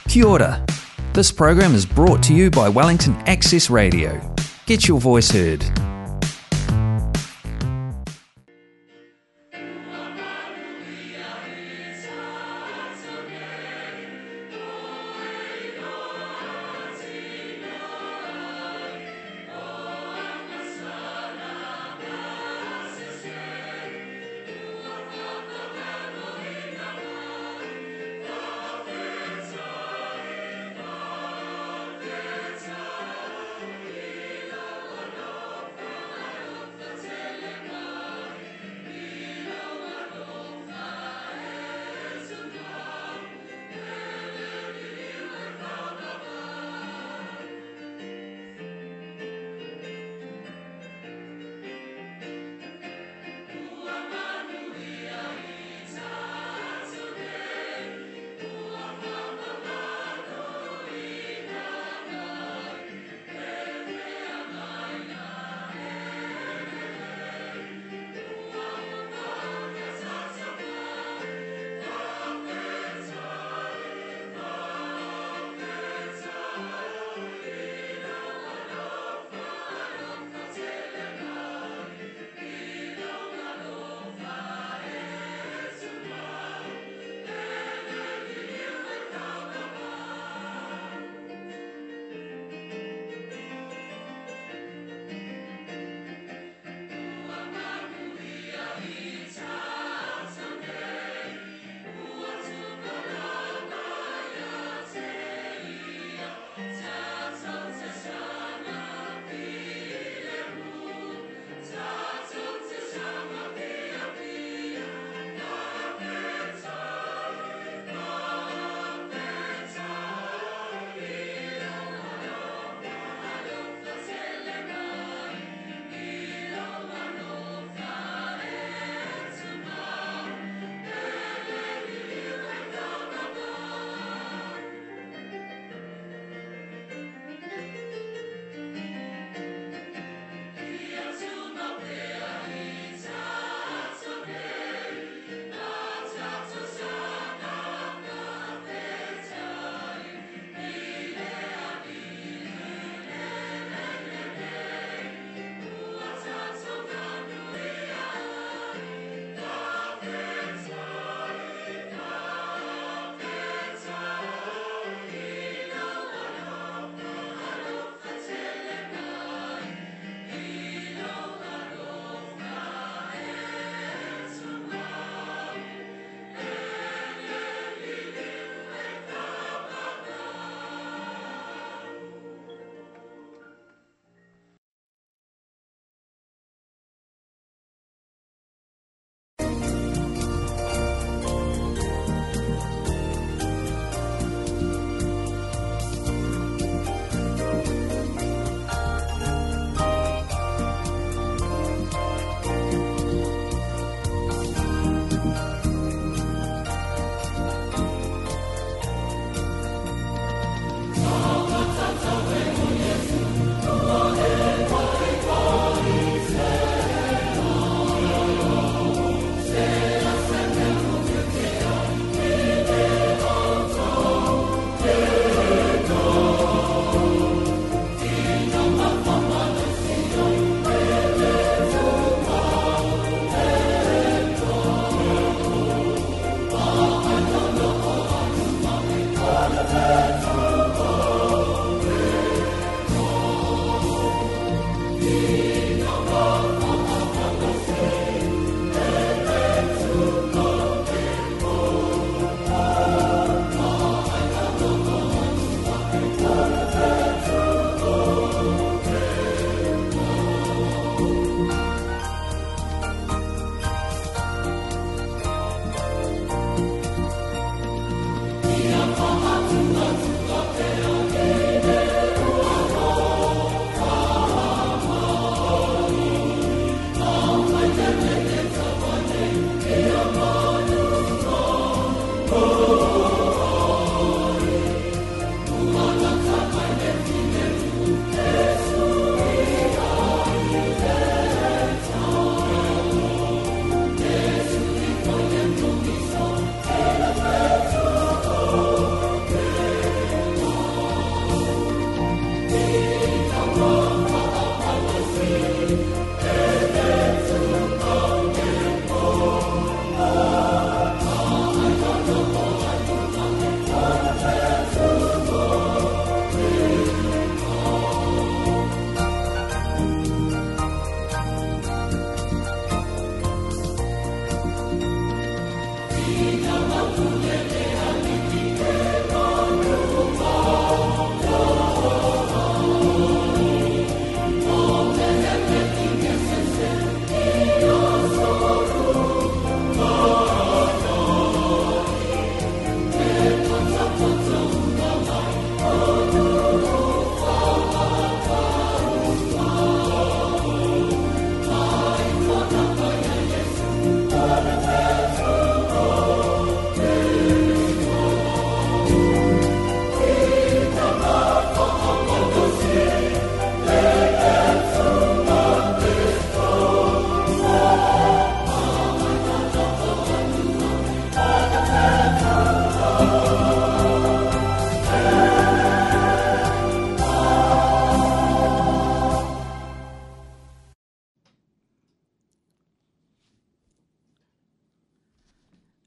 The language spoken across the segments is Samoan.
Kia ora. This program is brought to you by Wellington Access Radio. Get your voice heard.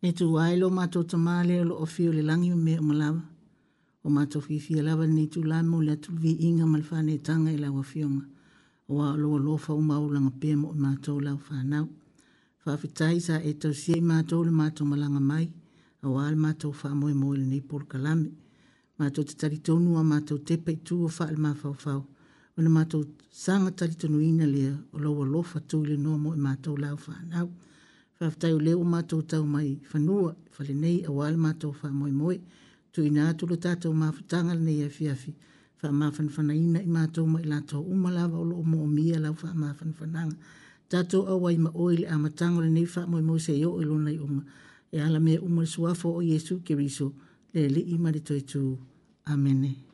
Le Atua e lo matou Tama lea o lo o afio i le lagi ma mea uma lava. O matou fiafia lava i lenei itula e momoli atu le viiga ma le faaneetaga i lau Afioga, aua o lou alofa ua maualuluga pea mo i matou lau fanau. Faafetai sa e tausia i matou i le matou malaga mai, aua le matou faamoemoe i lenei polokalame. Matou te talitonu a matou tepa i tua faale-mafaufau, ona matou saga talitonuina lea o lou alofa tuliloa mo i matou lau fanau. Faafetai o lea ua matou tau mai fanua i fale nei aua le matou faamoemoe. Tuuina atu le tatou mafutaga i lenei afiafi, faamafanafanaina i matou ma i latou uma lava o lo o moomia lau faamafanafanaga. Tatou auai ma oe i le amataga o lenei faamoemoe seia oo i lona iuga, e ala mea uma i le suafa o Iesu Keriso, le Alii ma le Toetu. Amene.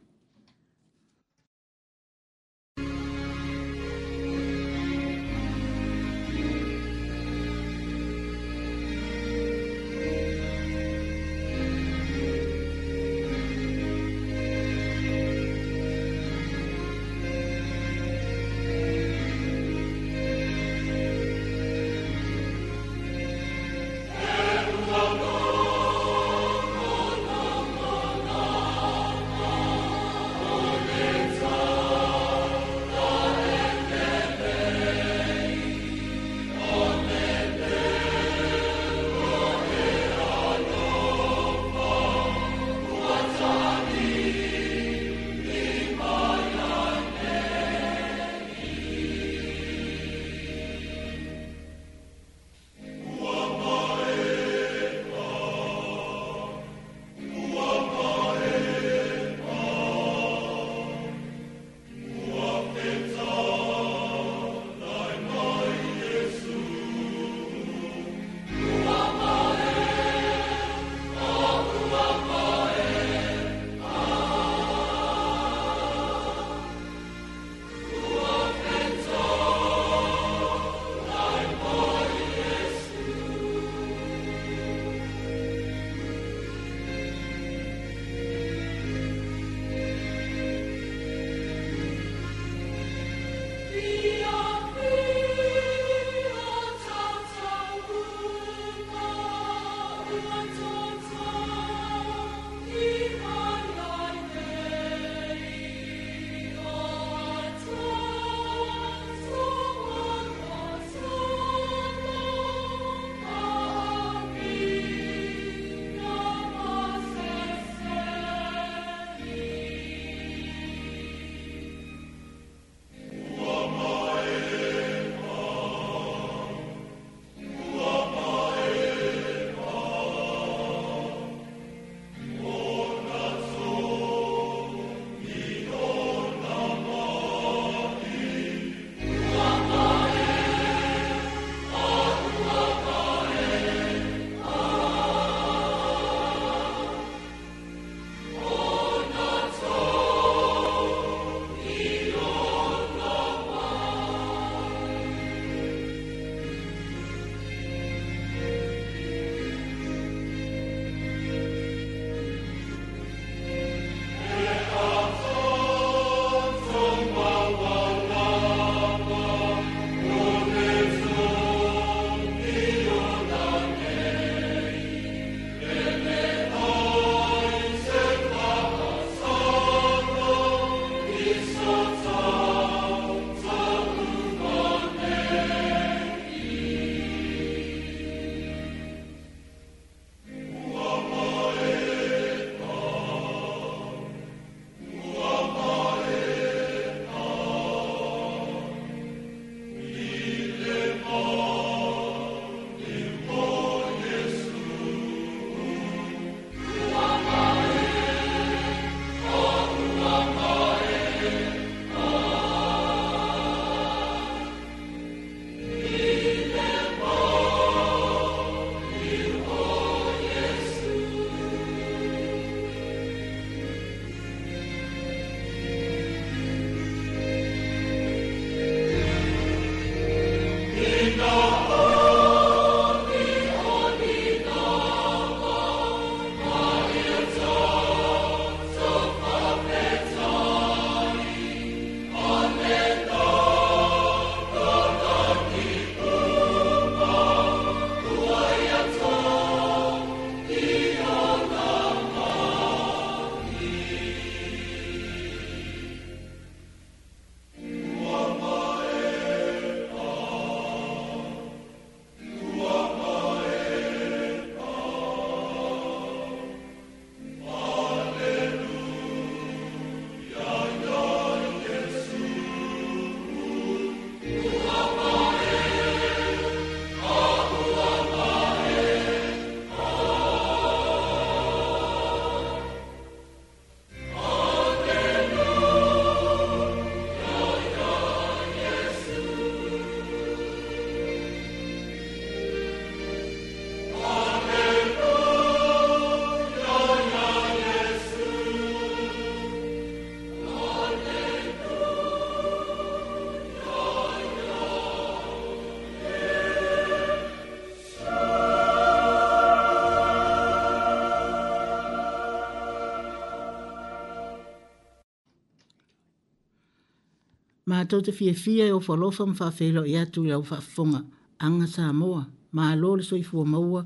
Matou te fiafia e ofo alofa ma faafeiloai atu i lau faafofoga aga Samoa, malo le soifua maua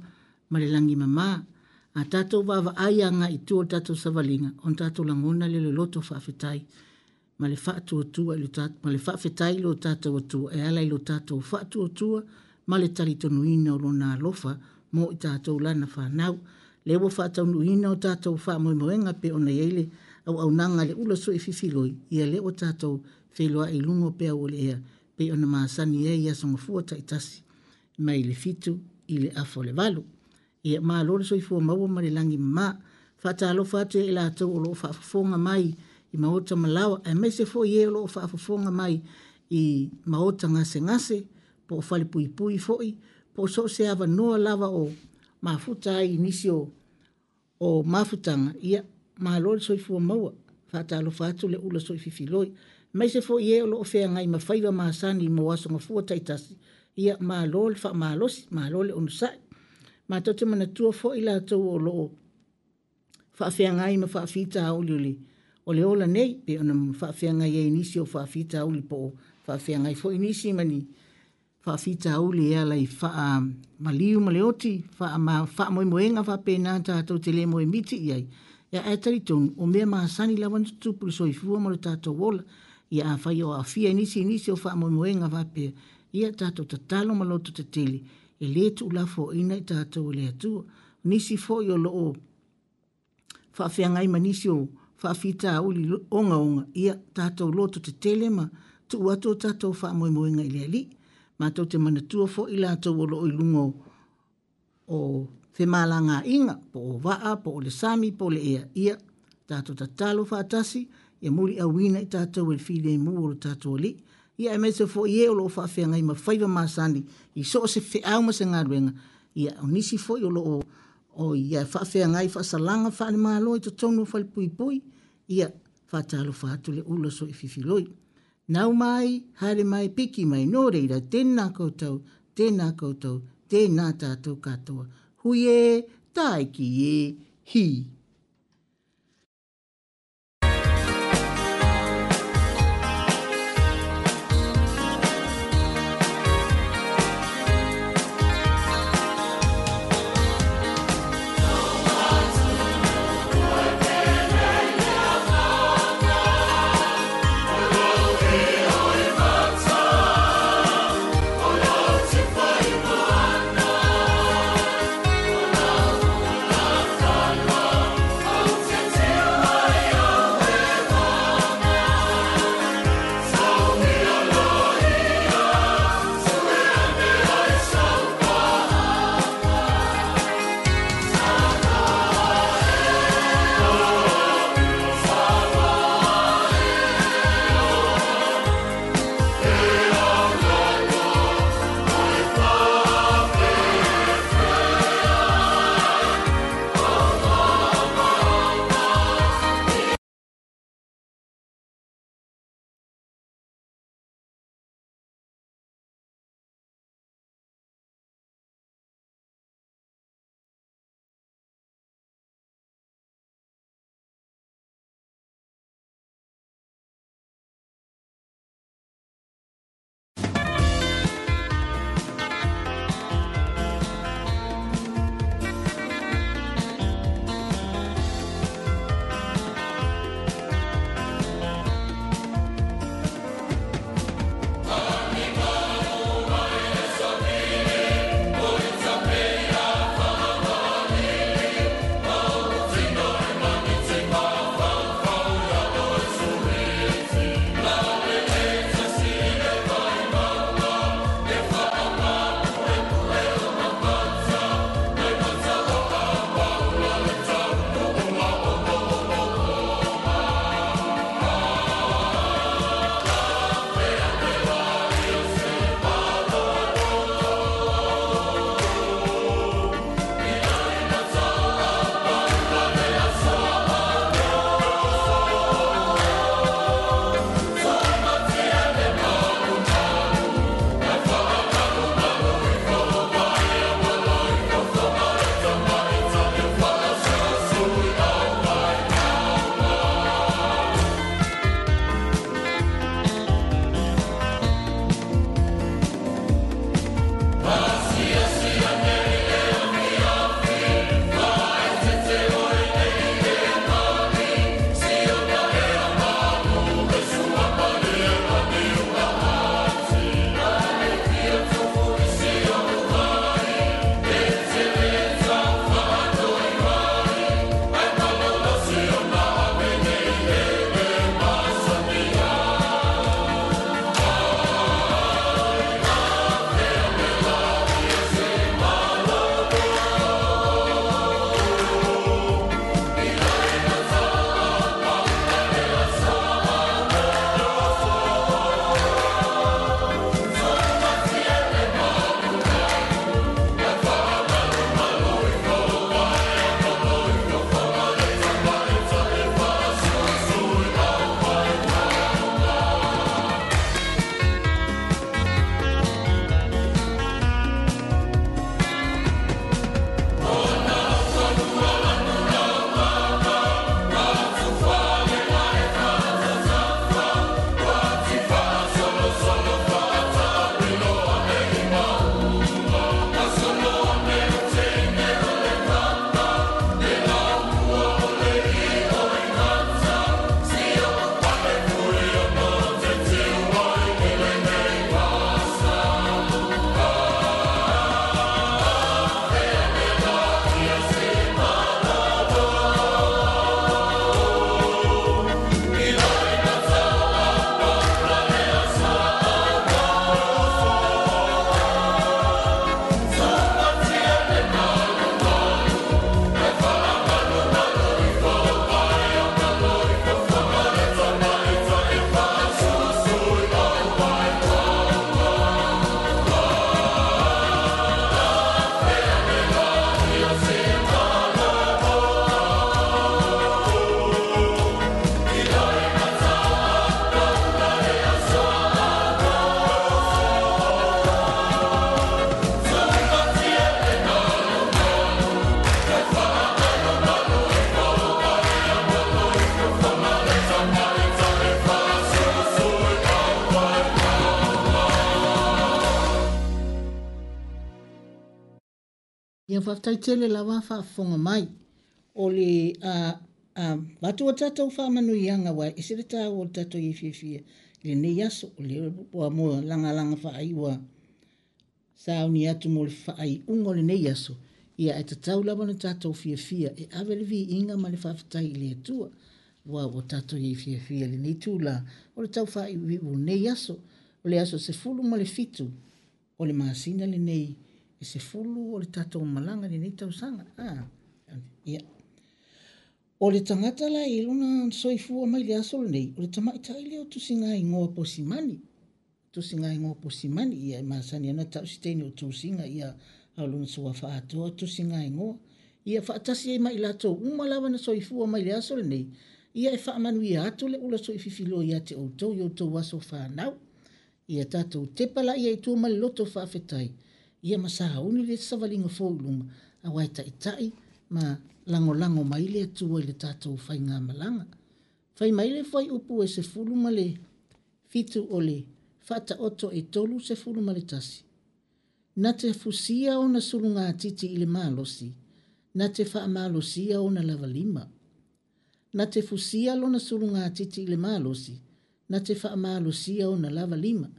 ma le lagi mama. A tatou vaavaai agai i tua o le tatou savaliga, ona tatou lagona lea o le loto faafetai ma le faatuatua i le ma le faafetai i lo tatou Atua e ala i lo tatou faatuatua ma le talitonuina o Lona alofa mo i tatou Lana fanau. Lea ua faataunuuina o tatou faamoemoega pei ona i ai le auaunaga a le ula sui fifiloi, ia lea ua tatou feiloai i luga o peau o le ea pei ona masani ai i aso Gafua taitasi mai le 7 i le afa o le 8. Ia malo le soifua maua ma le lagi mama. Faatalofa atu ia i latou o lo o faafofoga mai i maota ma laoa, aemaise foi e o lo o faafofoga mai i maota gasegase, po o falepuipui foi, po o so o se avanoa lava o mafuta ai i nisi o, o mafutaga, ia, malo le soifua maua. Faatalofa atu le ula soififiloi. Aemaise foi e o lo o feagai ma faiva masani mo aso gafua taitasi, ia, malo le faamalosi, malo le onosai. Matou te manatua foi latou o lo o faafeagai ma faafitauli o le, o le ola nei, pei ona faafeagai ai nisi o faafitauli po o faafeagai foi nisi ma ni faafitauli e ala i faamaliu ma le oti, faamoemoega faapena tatou te le moemiti i ai, ia ae talitonu, o mea masani lava ona tutupu i le soifua ma lo tatou ola. Ia afai o aafia i nisi i nisi o faamoemoega faapea, ia tatou tatalo ma loto tetele, e le tuulafoaiina i tatou e le Atua. Nisi foi o lo o faafeagai ma nisi o faafitauli ogaoga, ia tatou lototetele ma tuu atu o tatou faamoemoega i le Alii. Matou te manatua foi latou o lo o i luga o, o femalagaaiga, po o vaa, po o le sami, po o le ea, ia tatou tatalo faatasi, ia muliauina i tatou e le filemu o lo tatou Alii. Ia aemaise foi e o lo o faafeagai ma faiva masani i so o se feau ma se galuega, ia o nisi foi o lo o o ia faafeagai faasalaga faale-Malo i totonu o falepuipui, ia faatalofa atu le ula soififiloi. Nau mai, haere mai, piki mai, nō reira, tēnā koutou, tēnā koutou, tēnā tātou katoa. Hui e, tāiki e, hī. Ia faafetai tele lava faafofoga mai. O le a avatu a tatou faamanuiaga aua e ese le taua o le tatou i ai fiafia i lenei aso. O lea ua mo lagalaga faaiu ua sauni atu mo le faaiuga o lenei aso, ia ae tatau lava ona tatou fiafia e ave le viiga ma le faafetai i le Atua. Aua ua tatou i ai fiafia i lenei itula o le tau faaiuiu o lenei aso. O le aso 17 o le masina lenei e 10 o le tatou malaga i lenei tausaga. Ia. O le tagata la e i ai lona soifua mai le aso lenei, o le tamaitai lea o Tusigaigoa Posimani. Tusigaigoa Posimani, ia e masani ana tau se teine o Tusiga, ia a o lona suafa atoa Tusigaigoa. Ia faatasi ai ma i latou uma lava na soifua mai le aso lenei, ia e faamanuia atu le ula soififiloa ia te outou i outou aso fanau. Ia tatou tepa laia i tua ma le loto faafetai, ia ma sauni le savaliga fou i luma, aua e taitai ma lagolago mai le Atua i le tatou faigamalaga. Fai mai le fuaiupu e 17 o le Faataoto e 31, Na te fusia ona sulugatiti i le malosi, na te faamalosia ona lavalima. Na te fusia lona sulugatiti i le malosi, na te faamalosia ona lavalima.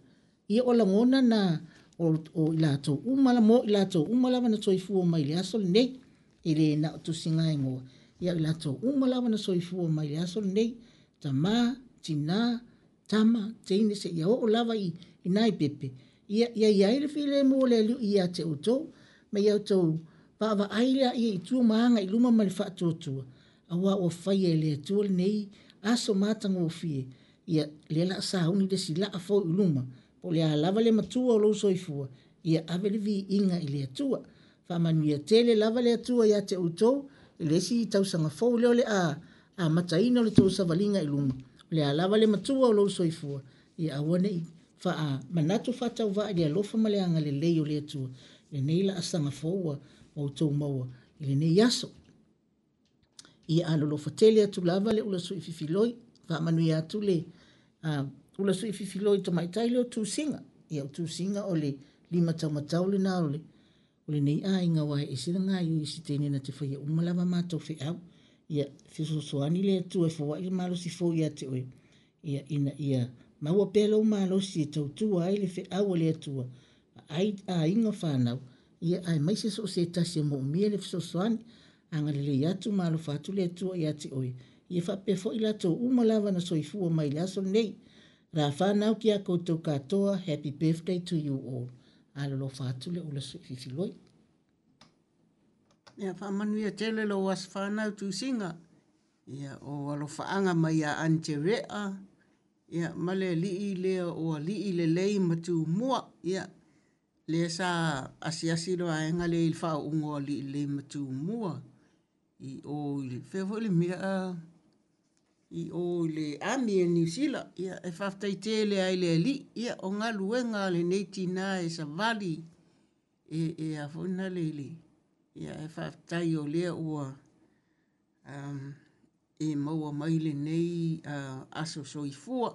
Ia o lagona na o, o i latou uma, mo i latou uma lava na soifua mai i le aso lenei, e le na o Tusigaigoa, ia o i latou uma lava na soifua mai i le aso lenei, tama, tina, tama, teine, seia oo lava i, i nai pepe, ia, ia i ai le filemu o le Alii ia te outou, ma ia outou vaavaai laia i tua ma aga i luma ma le faatuatua, aua ua faia e le Atua lenei aso matagofie, ia, lea la a sauni le isi laa fou i luma, po o le a lava le matua o lou soifua, ia ave le viiga i le Atua. Faamanuia tele lava le Atua ia te outou i le isi tausaga fou lea o le a amataina o le tou savaliga i luma, o le a lava le matua o lou soifua, ia aua ne i faamanatu faatauvaa i le alofa ma le agalelei o le Atua i lenei laasaga fou ua outou maua i lenei aso. Ia alolofa tele atu lava le ula sui fifiloi, faamanuia atu le ula sui fifiloi tamaitai lea o Tusiga. Ia o Tusiga o le lima taumatau lena o le o lenei aiga aua e ese le gaoioi i se teine na te faia uma lava matou feau. Ia fesoasoani le Atua e foai le malosi fou ia te oe, ia ina ia maua pea lou malosi e tautua ai le feau a le Atua, vaai aiga fanau, ia aemaise so o se tasi e moomia le fesoasoani. Agalelei atu ma alofa atu le Atua ia te oe, ia faapea foi latou uma lava na soifua mai i le aso lenei. Rā whānau ki a koutou katoa, happy birthday to you all. Alolofa atu le ula sui fifiloi. Ia faamanuia tele lou aso fanau Tusiga, ia o alofaaga mai ia Aunty Rea, ia ma le alii lea o alii lelei ma Tumua, ia lea sa asiasi le vaega lea i le faauluga o alii lelei ma Tumua i o i le fea foi le mea i o i le Army a Niu Sila. Ia e faafetai tele lava i le Alii, ia o galuega a lenei tina e savali e, e a foi na le i le, ia e faafetai o lea ua um, e maua mai lenei uh, aso soifua.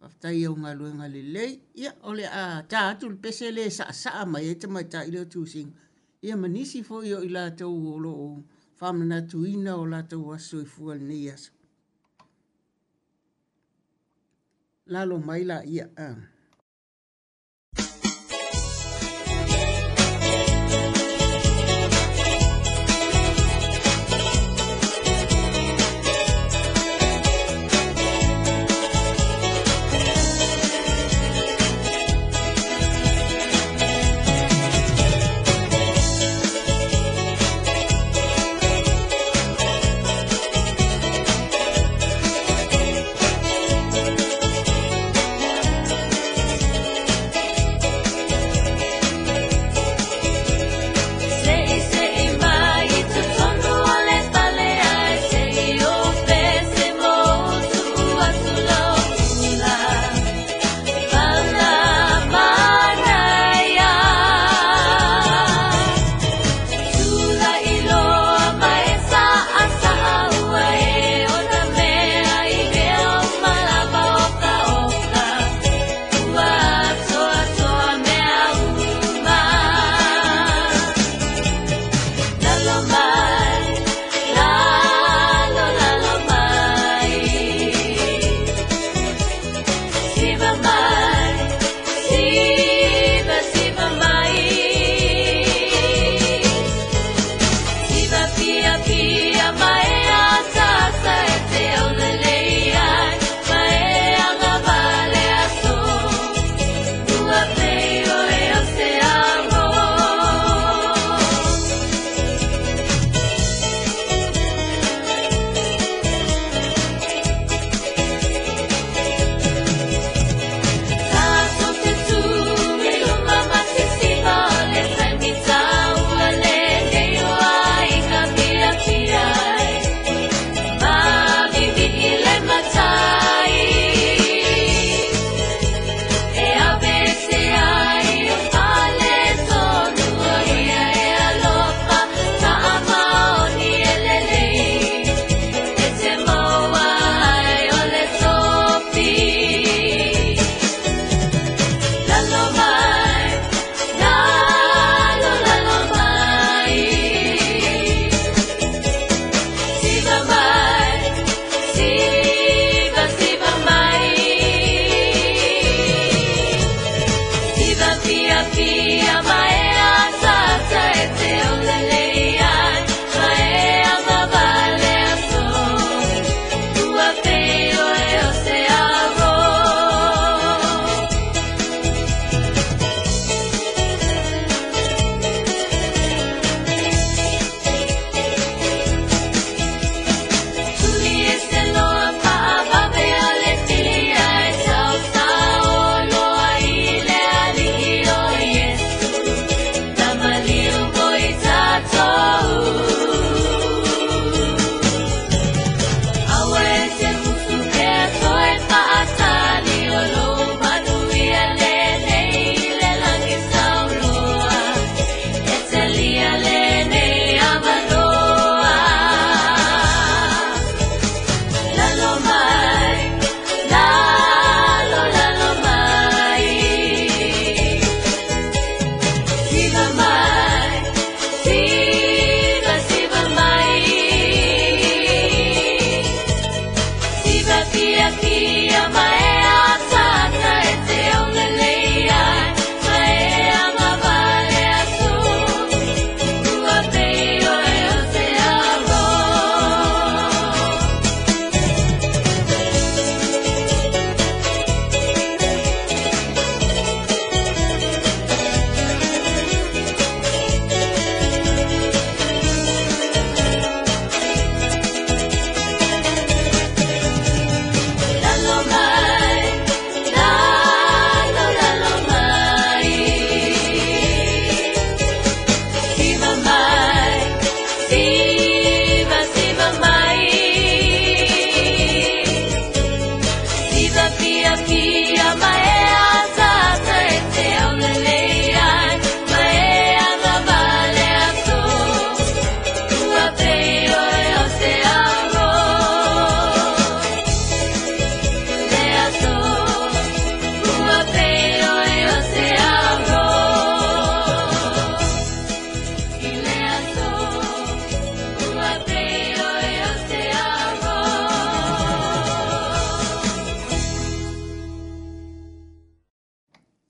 Faafetai i au galuega lelei. Ia, o le a ta atu le pese lea e saasaa mai ai tamaitai lea o Tusiga, ia ma nisi foi o i latou o lo o faamanatuina o latou aso soifua i lenei aso. Lalo mai laia. Ah.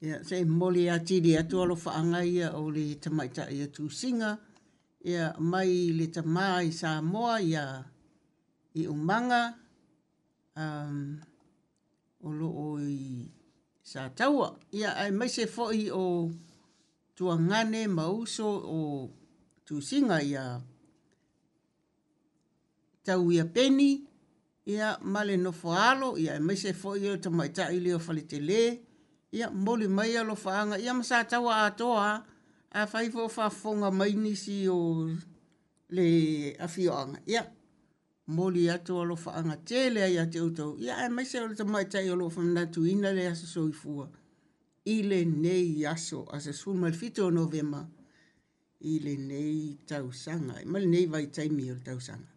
Ia, se i momoli atili atu alofaaga ia o le tamaitai o Tusiga, ia, mai le tamā i Samoa ia i Umaga, o lo o i Sataua. Ia, aemaise foi o tuagane ma uso o Tusiga ia Tauia Peni, ia, ma le nofoaalo, ia, aemaise foi o le tamaitai lea o Faletele, ia, momoli mai alofaaga, ia ma Sataua atoa lava. Afai foi o faafofoga mai nisi o le afioaga, ia, momoli atu alofaaga tele lava ia te outou, ia, aemaise o le tamaitai o lo o faamanatuina le aso soifua i lenei aso, aso 17 o Novema i lenei tausaga, ma lenei vaitaimi o le tausaga.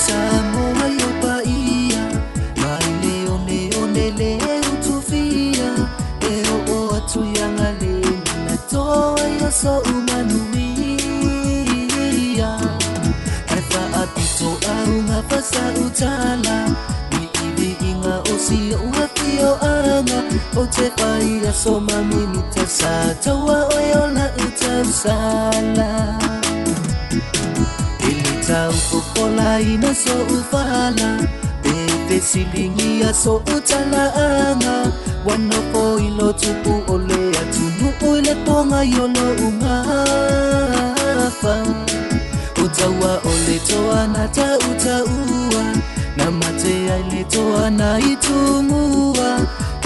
Samoa i o paia mai le one one le utufia e o atu ia galena na toa i o so'u manuia. o te whai aso mamimita sa taua oe o la utausala. Ele tau popola ina so ufala, pe silingi aso utalaanga. Wano po ilo tupu ole atunu ule ponga yolo ungafa. Utaua ole toa na ta utaua, na mate ai le toa na itumua.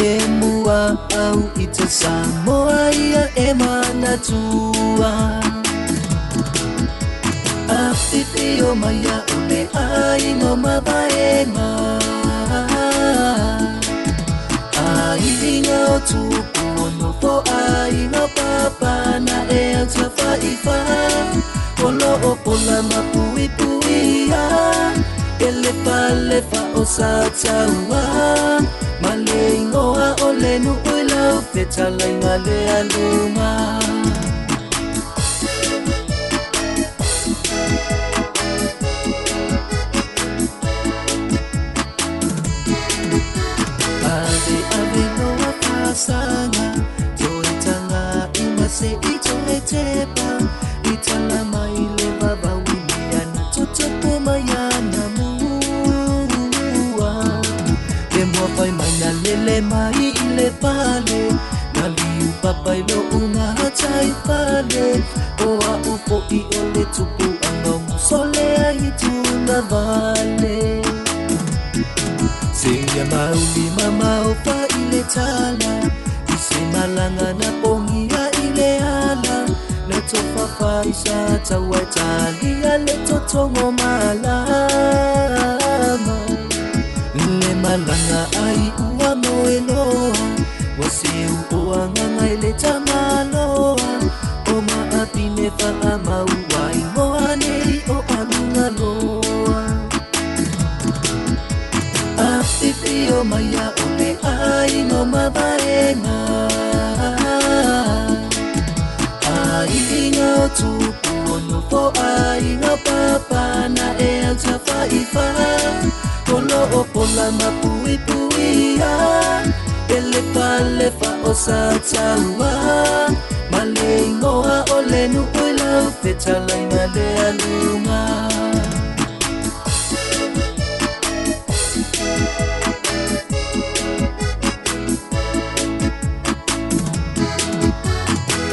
E mua au i te Samoa ia e manatua. Awhiwhio mai a ole aiga o mavaenga, aiga o tupu o nofo aiga o papa na e au tawhaiwha. Olo o pola mapuipuia, e lefa lefa o sa taua. Ma le ingoa o le nuu i lau fetalaiga le aluga. Ave ave noa whasanga, toe tanga i mase i toe tepa. I tala mai le vavaui mea na totopo mai ana mua. Le mua whai mai na lele mai i le pale, na liu papai lo unga tai fale. O a upo i o le tupu anga musole ai tuna vale. Singa mauli mama o fa i le tala, i se malanga na pongia i le ala. Na tofa fa i sa taua talia le totongo malama. Le malanga ai ua moe loa, wa seu o anganga i le tamaloa. O maapine wha maua i moa nei o alunga loa. Awhiwhio mai a ole aiga o mavaenga, aiga o tupu o nofo aiga o papa na e au tawhaiwha. Olo o pola mapuipuia, e lefa lefa o sa taua. Ma le ingoa o le nuu i lau fetalaiga le aluga.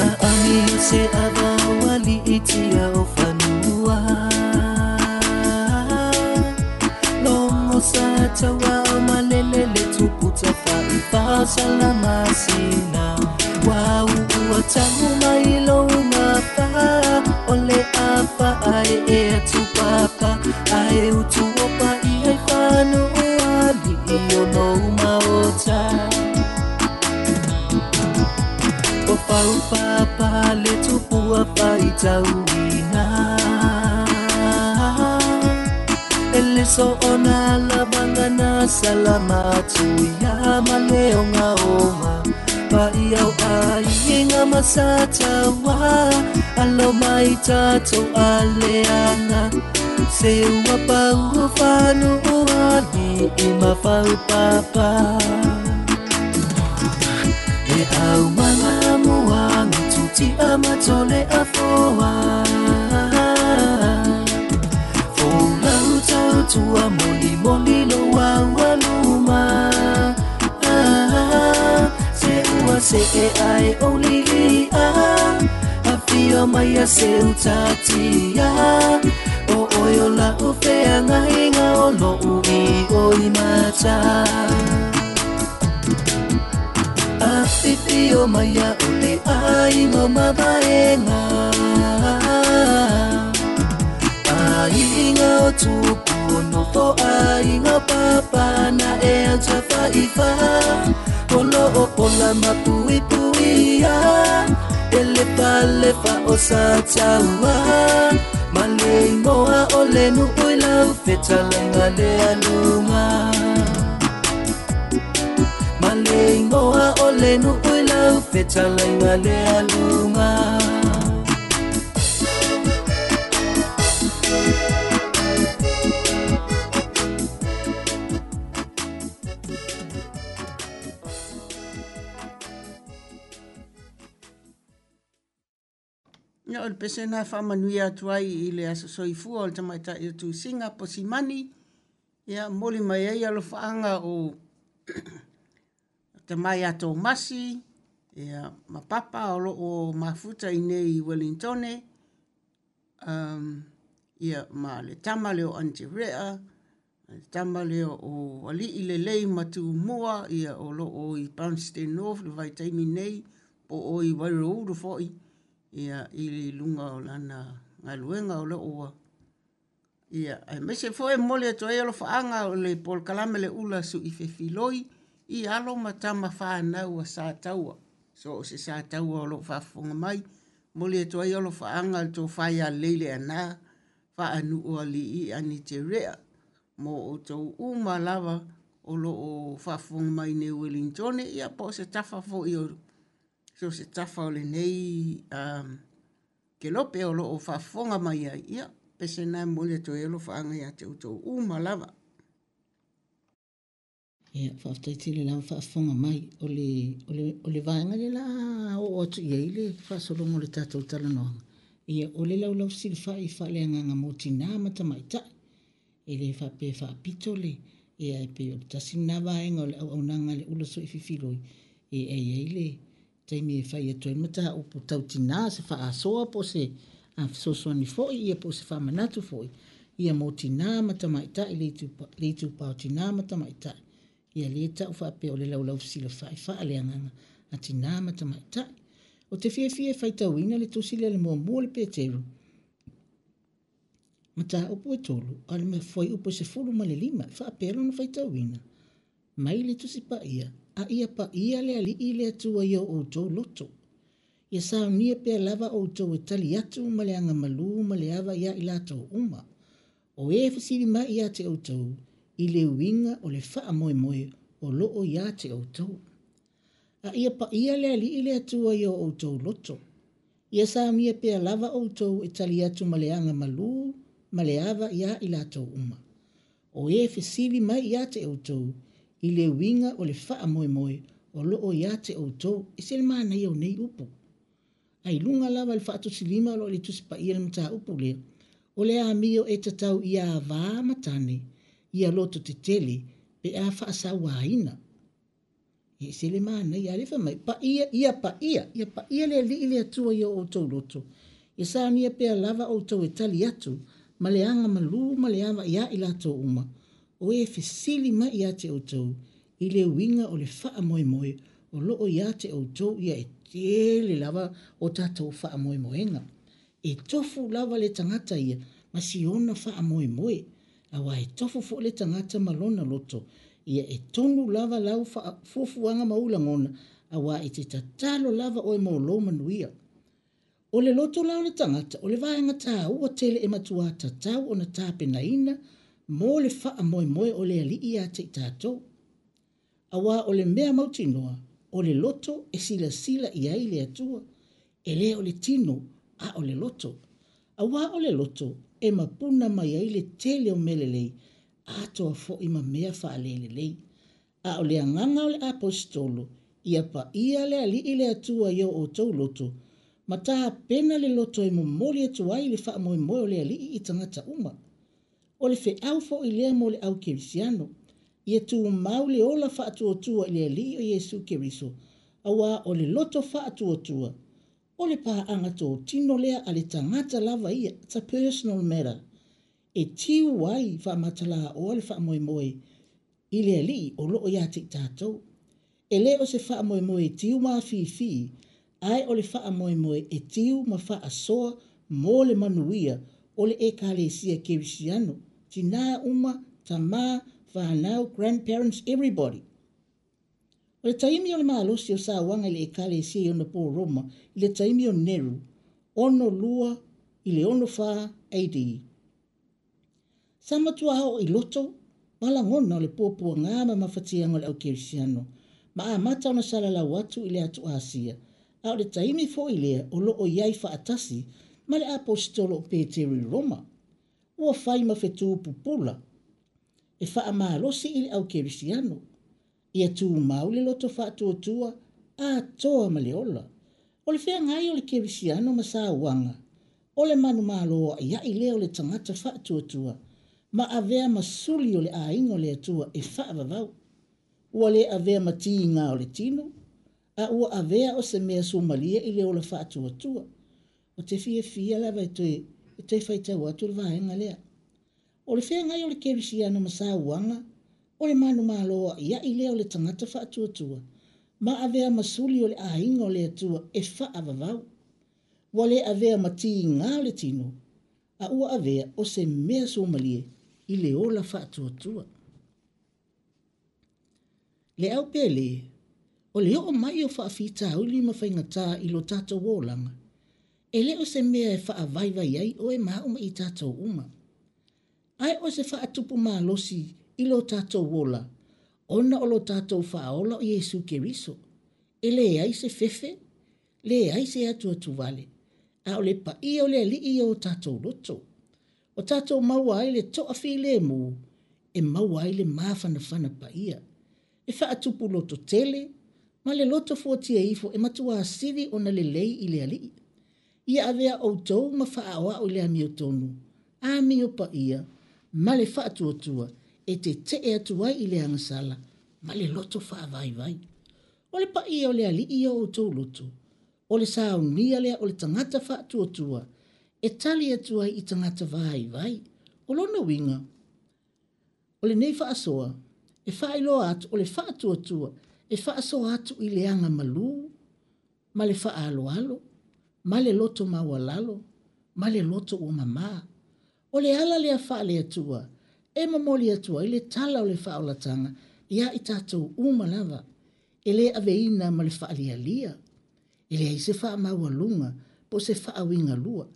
Aami o se avawali i tia o whanua. Longo sa taua o malele le tupu tawhaiwha salamasina. Wau ua tangu mai lo ungafa, o le afa ai e atu papa. Ai utu opa i ai whanu o ali i o no maota. O whau papa le tupua whai tauina. E le so ona lavanga na salamatu ia ma le onga onga. Pai au ai inga masatawa, alo mai tatou aleanga. Se ua pau whanu o ali i mawhau papa. E au manga mua ngituti a matole a foa. Folau tautua moli moli lo au aluma. Se ua se e ai o lili a, a fio mai a se utatia. O oi o la u wheanga inga o lo ui o i mata. Awhiwhio mai a ole aiga o mavaenga, aiga o tupu o nofo aiga o papa na e au tawhaiwha. Olo o pola mapuipuia, e lefa lefa o sa taua. Ma le ingoa o le nuu i lau fetalaiga le aluga. Ma le ingoa o le nuu i lau fetalaiga le aluga. o le pese lena e faamanuia atu ai i le aso soifua o le tamaitai o Tusiga Posimani, ia momoli mai ai alofaaga o tama ia Tomasi, ia ma Papa o lo o mafuta i inei i Welingtone, ia ma le tama lea o Anterea, le tama lea o Alii Lelei ma Tumua, ia o lo o i Palmerston North i le vaitaimi nei, po o i Waiouru foi, ia i luga o lana galuega o lo o ua Ia, aemaise foi e momoli atu ai alofaaga o le polokalame Le Ula Sui Fefiloi i alo ma tama fanau a Sataua. So o se Sataua o lo o faafofoga mai, momoli atu ai alofaaga i le tofa ia Lelei Leaana, Faanuu-alii Aniterea, mo outou uma lava o lo o faafofoga mai i nei Uelintone, ia po o se tafa foi o so o se tafa o lenei kelope o lo o faafofoga mai ai, ia, pese lena e momoli atu ai alofaaga ia te outou uma lava. Ia, faafetai tele lava faafofoga mai. O le, o le, o le vaega lea la a oo atu i ai le faasologa o le tatou talanoaga, ia, o le laulau fesilafai faaleagaga mo tinā ma tamaitai. E le faapea e faapito le, ia, e pei o le tasi lena vaega o le auaunaga a le ula soififiloi, e i ai le taimi e fai atu ai le mataupu tau tinā, se faasoa po o se fesoasoani foi ia po o se faamanatu foi ia mo tinā ma tamaitai, le itupa o tinā ma tamaitai. Ia lea e tau faapea o le laulau fesilafai faaleagaga a tinā ma tamaitai. Ou te fiafia e faitauina le tusi lea le muamua o le Peteru, mataupu e 3, a o le fuaiupu e 15, e faapea lona faitauina, Mai le Tusi Paia, a ia paia le Alii le Atua i o outou loto. Ia saunia pea lava outou e tali atu ma le agamalu ma le ava iā i latou uma, o e fesili mai iā te outou i le uiga o le faamoemoe o lo o iā te outou. A ia paia le Alii le Atua i o outou loto. Ia saunia pea lava outou e tali atu ma le agamalu ma le ava iā i latou uma, O e fesili mai iā te outou i le uiga o le faamoemoe o lo o iā te outou, ese le manaia o nei upu. A i luga lava i le faatusilima o lo o i le Tusi Paia le mataupu lea, o le amio e tatau ia avā ma tane ia loto tetele pe a faasauāina. E ese le manaia, a lea fai mai, paia, ia paia, ia paia le Alii le Atua i o outou loto, ia saunia pea lava outou e tali atu ma le agamalu ma le ava iā i latou uma, o e fesili mai iā te outou i le uiga o le faamoemoe o lo o iā te outou ia e tele lava o tatou faamoemoega. E tofu lava le tagata ia ma si ona faamoemoe, aua e tofu foi le tagata ma lona loto, ia e tonu lava lau fuafuaga ma ou lagona, aua e te tatalo lava oe mo lou manuia. O le loto la o le tagata, o le vaega taua tele e matuā tatau ona tapenaina mo le faamoemoe o le Alii ia te i tatou. Aua o le mea mautinoa, o le loto e silasila i ai le Atua, e le o le tino, a o le loto. Aua o le loto e mapuna mai ai le tele o mea lelei, atoa foi ma mea faalelelei. A o le agaga o le Aposetolo, ia paia le Alii le Atua i o outou loto, ma tapena le loto e momoli atu ai le faamoemoe o le Alii i tagata uma. O le feau foi lea mo le au kerisiano, ia tumau le ola faatuatua i le Alii o Iesu Keriso, aua o le loto faatuatua, o le paaga totino lea a le tagata lava ia, it's a personal matter, e tiu ai faamatalaoa le faamoemoe i le Alii o lo o ia te i tatou. E le o se faamoemoe e tiu ma afifi, ae o le faamoemoe e tiu ma faasoa mo le manuia o le Ekalesia Kerisiano, tinā uma, tamā, whānau, grandparents, everybody. O le taimi o le malosi o sauaga i le Ekalesia i ona pō Roma i le taimi o Neru, 62 i le 64 AD. Sa matua oo i loto ma lagona o le puapuaga ma mafatiaga o le au kerisiano, ma amata ona salalau atu i le atu Asia, a o le taimi foi lea o lo o i ai faatasi ma le Aposetolo o Peteru i Roma. Ua fai ma fetū pupula e faamalosi i le au kerisiano, ia tumau le loto faatuatua atoa ma le ola. O le feagai o le kerisiano ma sauaga, O le manumalo a'ia'i lea o le tagata faatuatua ma avea ma suli o le aiga o le Atua e faavavau. Ua le avea ma tiga o le tino, a ua avea o se mea sumalie i le ola faatuatua. Ou te fiafia lava e toe, e toe faitau atu le vaega lea. O le feagai o le kerisiano ma sauaga, o le manumalo a'ia'i lea o le tagata faatuatua, ma avea ma suli o le aiga o le Atua e faavavau. Ua le avea ma tiga o le tino, a ua avea o se mea sumalie i le ola faatuatua. Le au pele, o le oo mai o faafitauli ma faigatā i lo tatou olaga, e le o se mea e faavaivai ai oe ma au ma i tatou uma. Ae o se faatupu malosi i lo tatou ola, ona o lo tatou Faaola o Iesu Keriso. E leai se fefe, leai se atuatuvale, a o le paia o le Alii i o tatou loto. O tatou maua ai le toafilemu e maua ai le mafanafana paia, e faatupu loto tele ma le loto fuatia ifo e matuā sili ona lelei i le Alii. Ia avea outou ma faaoao i le amiotonu, amio paia ma le faatuatua e tetee atu ai i le agasala ma le loto faavaivai. O le paia o le Alii i o outou loto, o le saunia lea o le tagata faatuatua e tali atu ai i tagata vaivai. O lona uiga, o lenei faasoa e faailoa atu o le faatuatua e faasoa atu i le agamalu ma le faaaloalo ma le loto maualalo ma le loto ua mamā. O le ala lea faale-Atua e momoli atu ai le tala o le faaolataga iā i tatou uma lava, e le aveina ma le faalialia, e leai se faamaualuga po o se faauigalua,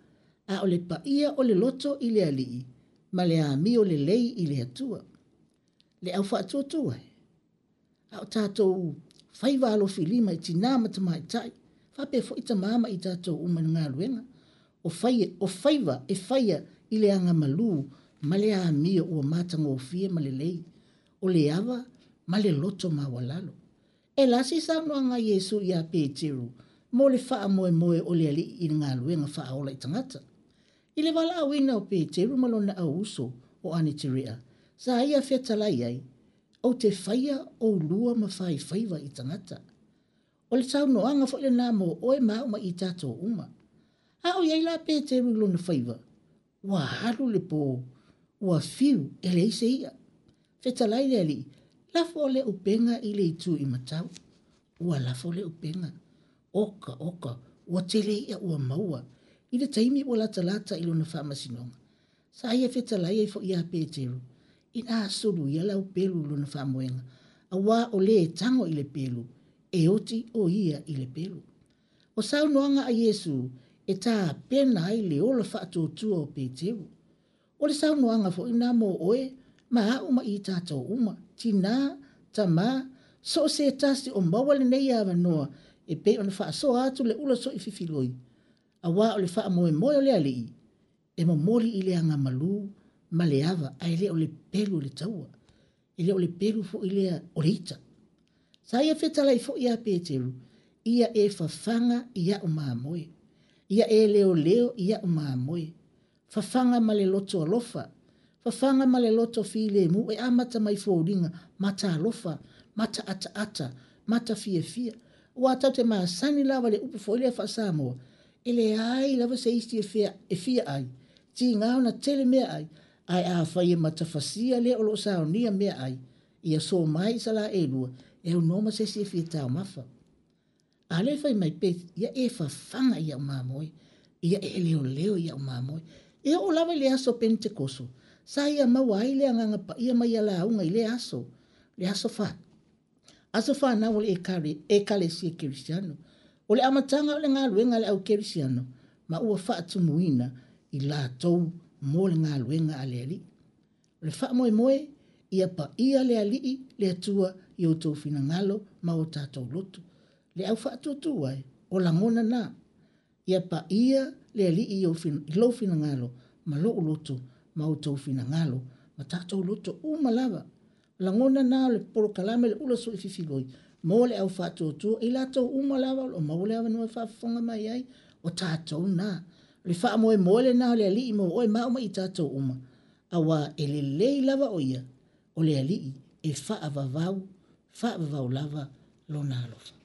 a o le paia o le loto i le Alii ma le amio lelei i le Atua. Le au faatuatua e, a o tatou faiva alofilima i tinā ma tamaitai, faapea foi tamā ma i tatou uma i le galuega, o, fai, o faiva e faia i le agamalu ma le amio ua matagofie ma lelei, o le ava ma le loto maualalo. E lasi saunoaga a Iesu iā Peteru mo le faamoemoe o le Alii i le galuega faaola i tagata. I le valaauina o Peteru ma lona au uso o Aneterea, sa ia fetalai ai, Ou te faia oulua ma faifaiva i tagata. O le saunoaga foi lenā mo oe ma au ma i tatou uma. A o i ai la Peteru i lona faiva, ua alu le pō, ua fiu e leai se i'a. Fetalai le Alii, lafo le upega i le itu i matau. Ua lafo le upega. Oka, oka, ua tele i'a ua maua. I le taimi ua latalata i lona faamasinoga, sa ia fetalai ai foi iā Peteru, inā sulu ia lau pelu i lona faamoega, auā o lē e tago i le pelu, e oti o ia i le pelu. O saunoaga a Iesu e tapena ai le ola faatuatua o Peteru. O le saunoaga foi lena mo oe ma au ma i tatou uma, tinā, tamā, so o se tasi o maua lenei avanoa e pei ona faasoa atu le ula soififiloi, auā o le faamoemoe o le Alii e momoli i le agamalu ma le ava ae le o le pelu o le taua, e le o le pelu foi lea o le ita. Sa ia fetalai foi iā Peteru, Ia e fafaga i a'u mamoe. Ia e leoleo i a'u mamoe. Fafaga ma le loto alofa. Fafaga ma le loto filemu e amata mai foliga matalofa, mataataata, matafiafia. Aua tatou te masani lava i le upu foi lea faa-Samoa, e leai lava se isi e fia, e fia ai, tiga ona tele meaai, ae afai e matafasia le o lo o saonia meaai, ia so mai i salāʻelua, e aunoa ma se isi e fia taumafa. A lea fai mai pe, ia e fafaga i au mamoe, ia e leoleo i au mamoe. E oo lava i le aso Penetekoso, sa ia maua ai le Agaga Paia mai ia lauga i lea aso, le aso fa, aso fanau o le Ekalesia Kerisiano. O le amataga o le galuega a le au Kerisiano, ma ua faatumuina i latou mo le galuega a le Alii. O le faamoemoe, ia paia le Alii, le Atua, i outou finagalo ma o tatou loto. Le au faatuatua e, o lagona na. Ia paia le Alii i lou finagalo ma lou loto ma outou finagalo ma tatou loto uma lava. O lagona na o le polokalame le ula soififiloi mo le au faatuatua i latou uma lava o lo o maua le avanoa e faafofoga mai ai, o tatou na. O le faamoemoe lenā o le Alii mo oe ma au ma i tatou uma, auā e lelei lava o ia, o le Alii e faavavau, faavavau lava lona alofa.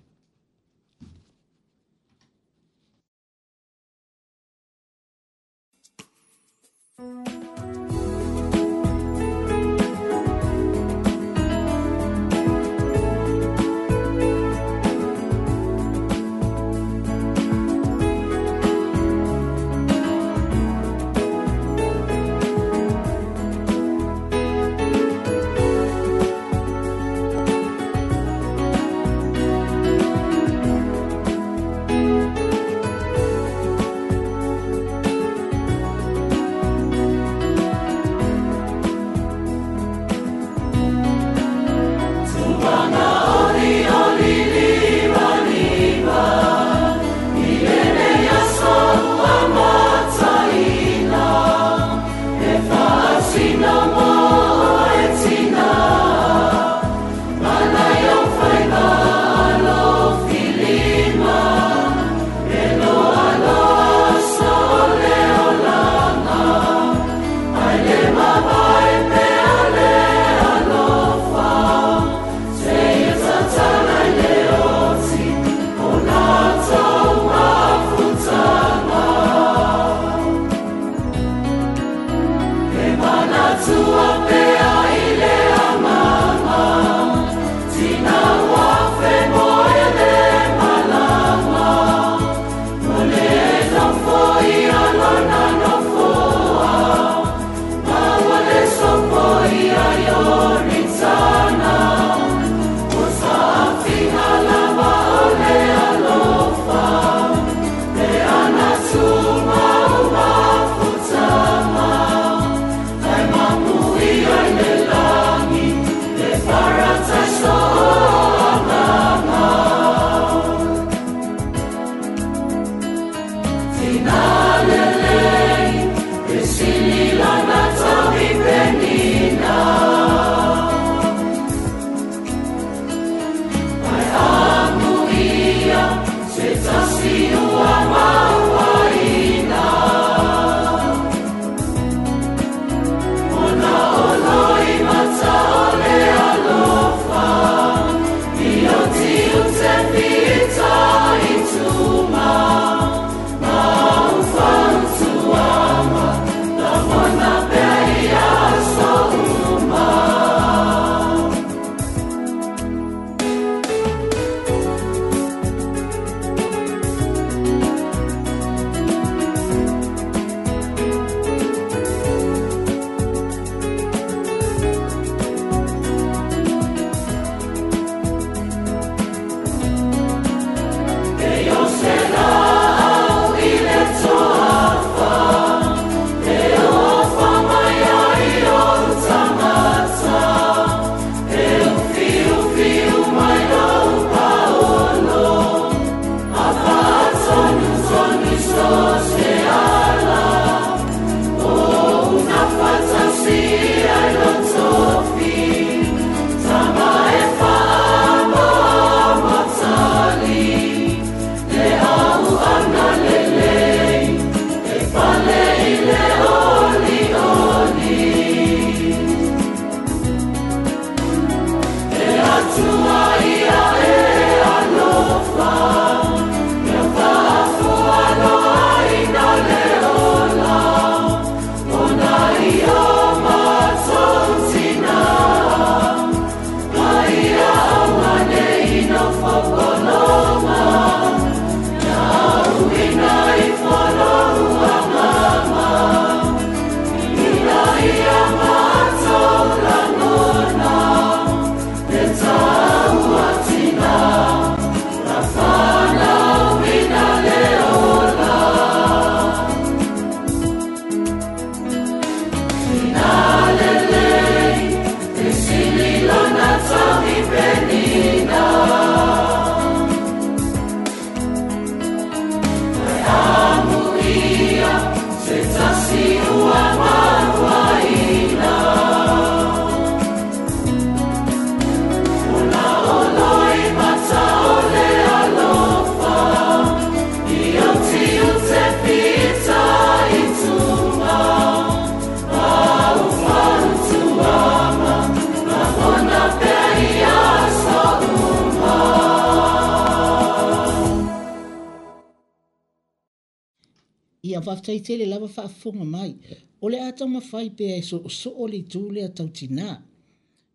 Ia, faafetai tele lava faafofoga mai. O le a taumafai pea e soosoo le itu lea tau tinā.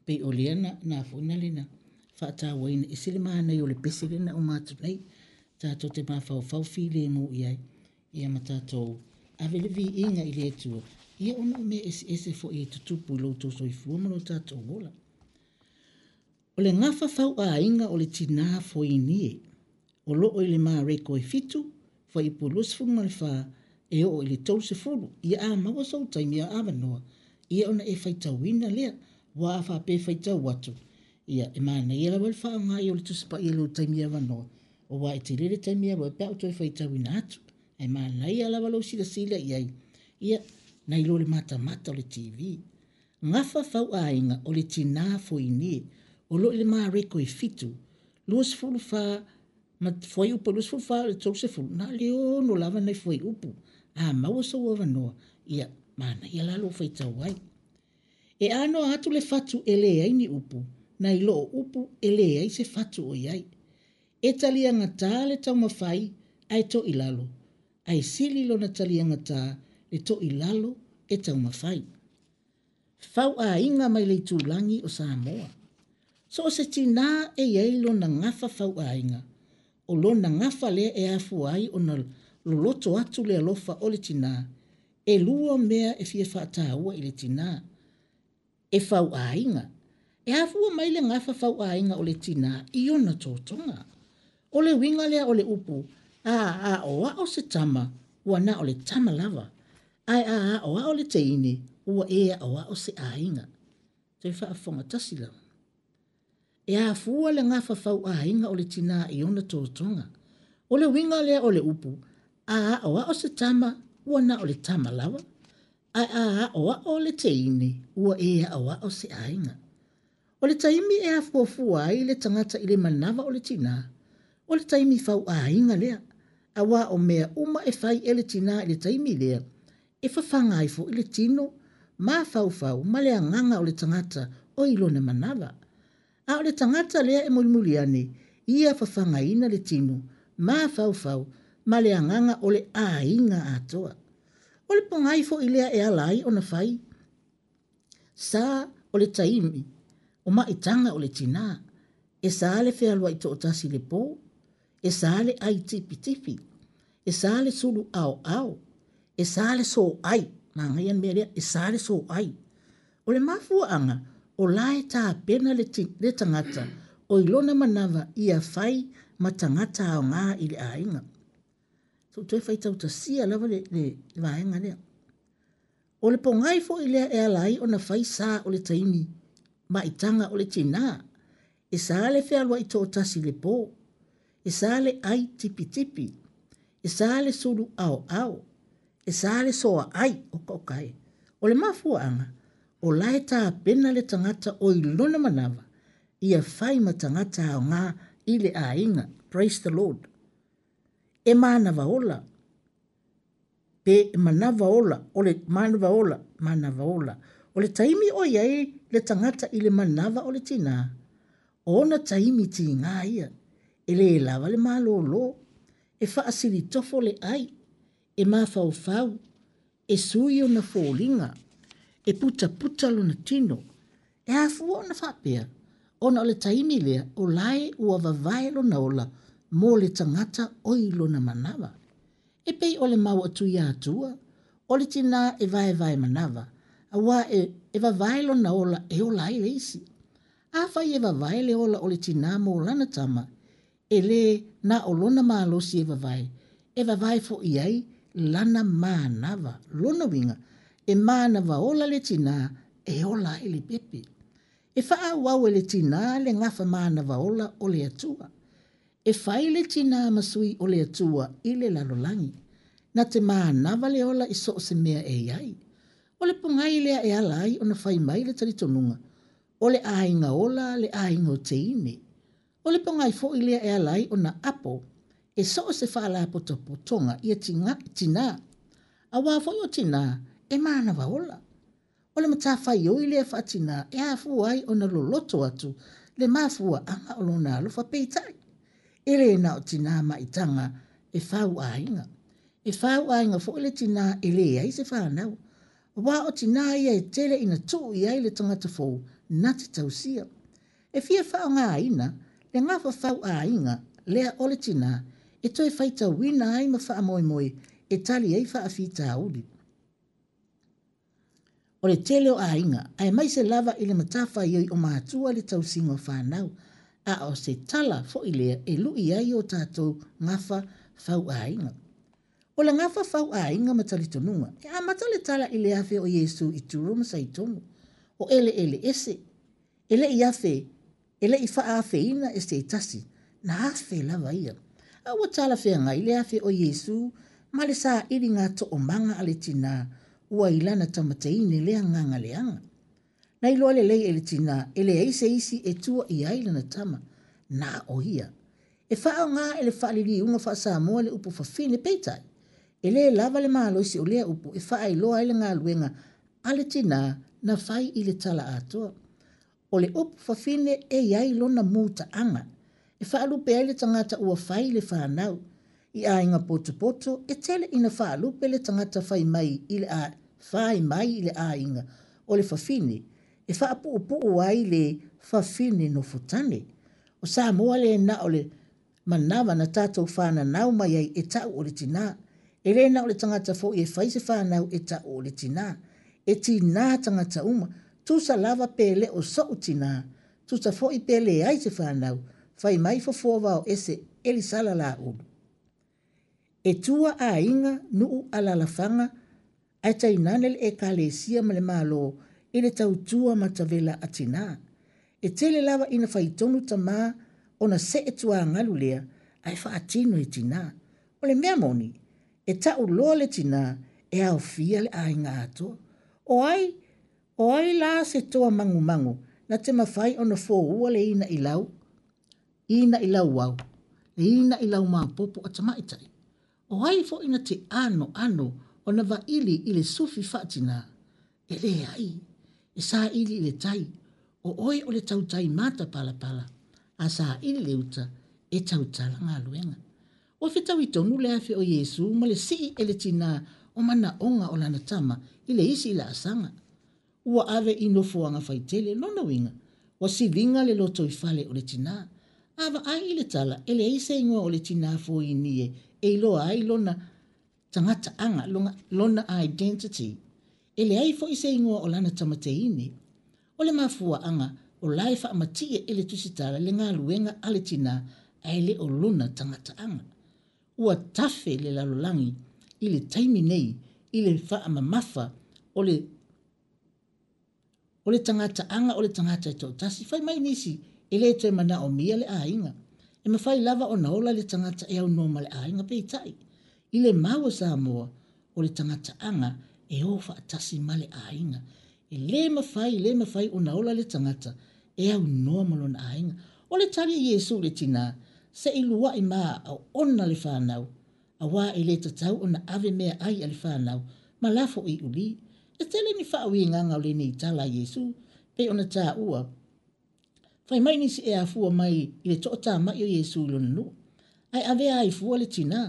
Pei o lea na, na foi na le na faatauaina ese le manaia o le pese lea na uma atu nei. Tatou te mafaufau filemu i ai, ia ma tatou ave le viiga i le Atua, ia ona o mea eseese foi e tutupu i lo outou soifua ma lo tatou ola. O le gafa fauaiga o le tinā Foinie, o lo o i le Mareko e 7, fuaiupu 24 e oo i le 30. Ia a maua sou taimi a avanoa, ia ona e faitauina lea. Aua a faapea e faitau atu, ia e manaia lava le faaaoga i o le Tusi Paia i lou taimi avanoa, aua e tele le taimi e alu ai pe a ou toe faitauina atu. Ae manaia lava lou silasila i ai, ia, nai lo le matamata o le TV. Gafa fauaiga o le tinā Foinie, o lo o i le Mareko e 7, 24 ma fuaiupu e 24 i le 30, na o le ono lava nai fuaiupu. A maua sou avanoa, ia, manaia la lou faitau ai. E anoa atu le fatu e leai ni upu, nai lo o upu e leai se fatu o i ai. E taliagatā le taumafai ae toilalo, ae sili lona taliagatā le toilalo e taumafai. Fauaiga mai le itulagi o Samoa. So o se tinā e i ai lona gafa fauaiga, o lona gafa lea e afua ai ona loloto atu le alofa o le tinā, e lua mea e fia faataua i le tinā, e fauaiga. E afua mai le gafa fauaiga o le tinā i ona totoga. O le uiga lea o le upu, a aoao se tama, ua na o le tama lava, ae a aoao le teine, ua e aoao se aiga. Toe faafofoga tasi lava. E afua le gafa fauaiga o le tinā i ona totoga. O le uiga lea o le upu, a aoao se tama, ua na o le tama lava, ae a aoao le teine, ua e aoao se aiga. O le taimi e afuafua ai le tagata i le manava o le tinā, o le taimi fauaiga lea, aua o mea uma e fai e le tinā i le taimi lea, e fafaga ai foi le tino, mafaufau ma le agaga o le tagata o i lona manava. A o le tagata lea e mulimuli ane, ia fafagaina le tino, mafaufau ma le agaga o le aiga atoa. O le pogai foi lea e ala ai ona fai sa o le taimi o maitaga o le tinā, e sa le fealuai toatasi i le pō, e sa le ai tipitipi, e sa le sulu aoao, e sa le soai, manaia le mea lea, e sa le soai. O le mafuaaga, o la e tapena le, le tagata o i lona manava ia fai ma tagata aoga i le aiga. So toe faitautasia lava le, le vaega lea. O le pogai foi lea e ala ai ona fai sa o le taimi maitaga o le tinā, e sa le fealuai toatasi i le pō, e sa le ai tipitipi, e sa le sulu aoao, e sa le soaai, oka oka e. O le mafuaaga, o la e tapena le tagata o i lona manava, ia fai ma tagata aoga i le aiga. Praise the Lord. E manava ola, pe manava ola, o le manava ola, manava ola. O le taimi o i ai le tagata i le manava o le tinā, o ona taimi tigā ia, e lē lava le malōlō, e faasilitofo le ai, e mafaufau, e sui ona foliga, e putaputa lona tino. E afua ona faapea, ona o le taimi lea o la e ua vavae lona ola mo le tagata o i lona manava. E pei o le mau a Tuiatua, o le tinā e vaevae manava, aua e, e vavae lona ola e ola ai le isi. Afai e vavae le ola o le tinā mo lana tama, e lē na o lona malosi e vavae, e vavae foʻi ai lana manava. Lona uiga, e manava ola le tinā e ola ai le pepe. E faaauau e le tinā le gafa manava ola o le Atua. E fai le tinā ma sui o le Atua i le lalolagi. Na te manava le ola i so o se mea e i ai. O le pogai lea e ala ai ona fai mai le talitonuga, o le aiga ola le aiga o teine. O le pogai foi lea e ala ai ona apo e so o se faalapotopotoga ia tinā. Aua foi o tinā e manava ola. O le matafaioi lea faatinā e afua ai ona loloto atu le mafuaaga o lona alofa. Peitai, e le na o tinā maitaga e fau aiga. E fauaiga foi le tinā e leai se fanau, aua o tinā ia e tele ina tuu i ai le tagata fou na te tausia. E fia faaaogaina le gafa fauaiga lea o le tinā e toe faitauina ai ma faamoemoe e tali ai faafitauli. O le tele o aiga, aemaise lava i le matafaioi o matua i le tausiga o fanau, a o se tala foi lea e lui ai o tatou gafa fauaiga. O le gafa fauaiga ma talitonuga, e amata le tala i le afe o Iesu i Turo ma Saitonu, o eleele ese, e le i afe e le i faaafeina e se tasi, na afe lava ia. A ua talafeagai le afe o Iesū ma le sailiga toomaga a le tinā ua i lana tamateine le agaga leaga. Na iloa lelei e le tinā e leai se isi e tua i ai lana tama, na o ia. E faaaoga e le faaliliuga faa-Samoa le upu fafine, peitai, e lē lava le malosi o lea upu e faailoa ai le galuega a le tinā na fai i le tala atoa. O le upu fafine e i ai lona mutaaga e faalupe ai le tagata ua fai le fanau. I aiga potopoto, e tele ina faalupe le tagata fai mai i le fai mai i le aiga o le fafine e faapuupuu ai le fafine nofotane. O Samoa le na o le manava na tatou fananau mai ai e ta'u o le tinā. E lē na o le tagata foi e fai se fanau e ta'u o le tinā. E tinā tagata uma, tusa lava pe le o so'u tinā, tusa foi pe leai se fanau, fai mai fofoa vao ese Elisala Laulu. E tua aiga, nuu, alaalafaga, ae tainane le Ekalesia ma le Malo i le tautua matavela a tinā. E tele lava ina faitonu tamā ona see tuagalu lea ae faatino e tinā. O le mea moni, e ta'u loa le tinā e aofia le aiga atoa. O ai, o ai la se toa magumagu na te mafai ona foua le ina'i lau, ina'i lauau, le ina'i laumaopopo a tamaitai? O ai foi na te anoano ona vaili i le sufi faatinā? E leai, e saili i le tai, o oe o le tautai matapalapala, a saili le uta, e tautala galuega. Ua fetaui tonu le afe o Iesu ma le sii e le tinā o manaoga o lana tama i le isi laasaga. Ua ave i nofoaga faitele, lona uiga, ua siliga le lotoifale o le tinā. A vaai i le tala, e leai se igoa o le tinā foinie e iloa ai lona tagataaga, lona identity. E leai foi se igoa o lana tamateine. O le mafuaaga, o la e faamatie e le Tusitala le galuega a le tinā ae le o lona tagataaga. Ua tafe le lalolagi i le taimi nei i le faamamafa o le o le tagataaga o le tagata e toatasi. Fai mai nisi, e lē toe manaomia le aiga. E mafai lava ona ola le tagata e aunoa ma le aiga, peitai, i le mau a Samoa, o le tagataaga e o faatasi ma le aiga. E lē mafai, lē mafai ona ola le tagata e aunoa ma lona aiga. O le tali a Iesu i le tinā, Se i luaʻi ma ona le fanau, auā e lē tatau ona ave meaai a le fanau ma lafo i ulī. E tele ni faauigaga o lenei tala a Iesu, pei ona tāua, Fai mai nisi e afua mai i le toʻatāmaʻi o Iesu i lona nuu, ae avea ai fua le tinā,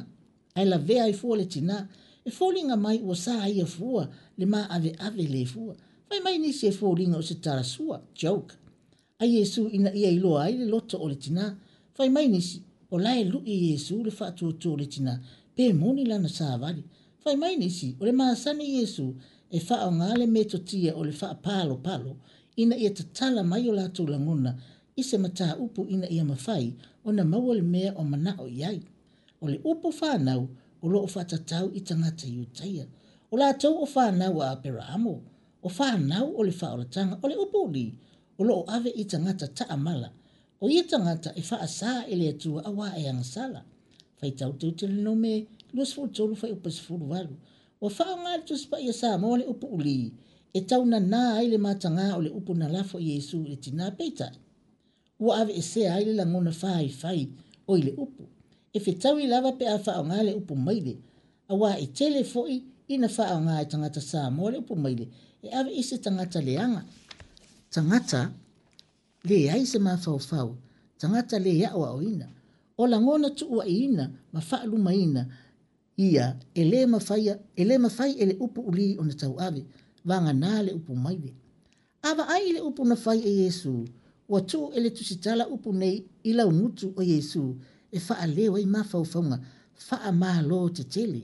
ae lavea ai fua le tinā, e foliga mai ua sa ia fua le maaveave lē fua. Fai mai nisi e foliga o se tala sua, joke, a Iesu ina ia iloa ai le loto o le tinā. Fai mai nisi, o la e luʻi e Iesu le faatuatua o le tinā, pe moni lana savali. Fai mai nisi, o le masani Iesu e faaaoga le metotia o le faapalopalo ina ia tatala mai o latou lagona i se mataupu ina ia mafai ona maua le mea o manao i ai. O le upu fanau o lo o faatatau i tagata Iutaia. O latou o fanau a Aperaamo, o fanau o le faaolataga. O le upu ulī, o lo o ave i tagata taamala. O ia tagata e faasā e le Atua auā e agasala. Faitau Teutelonome 23 fuaiupu 18. Ua faaaoga e le Tusi Paia Samoa le upu ulī e taunanā ai le matagā o le upu na lafo e Iesu i le tinā, peitai, ua aveesea ai le lagona faifai o i le upu. E fetaui lava pe a faaaoga le upu maile, auā e tele foi ina faaaoga e tagata Samoa le upu maile e ave i se tagata leaga, tagata leai se mafaufau, tagata lē aoaoina. O lagona tuuaiina ma faalumaina Ia, e lē mafaia, e lē mafai e le upu ulī ona tauave, vagana le upu maile. A vaai i le upu na fai e Iesū, ua tuu e le tusitala upu nei i laugutu o Iesū e faaleo ai mafaufauga faamalo tetele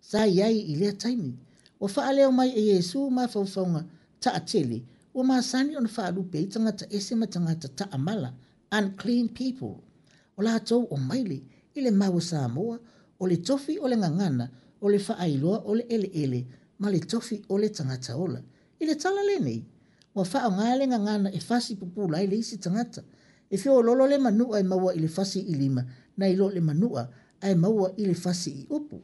sa i ai i lea taimi. Ua faaleo mai e Iesū mafaufauga taatele ua masani ona faalupe ai tagata ese ma tagata taamala, unclean people. O latou o maile i le mau a Samoa, o le tofi o le gagana, o le faailoa o le eleele ma le tofi o le tagata ola. I le tala lenei, ua faaaoga le gagana e fasi pupula ai le isi tagata. E feoloolo le manua e maua i le fasi i lima nai lo le manua ae maua i le fasi i upu.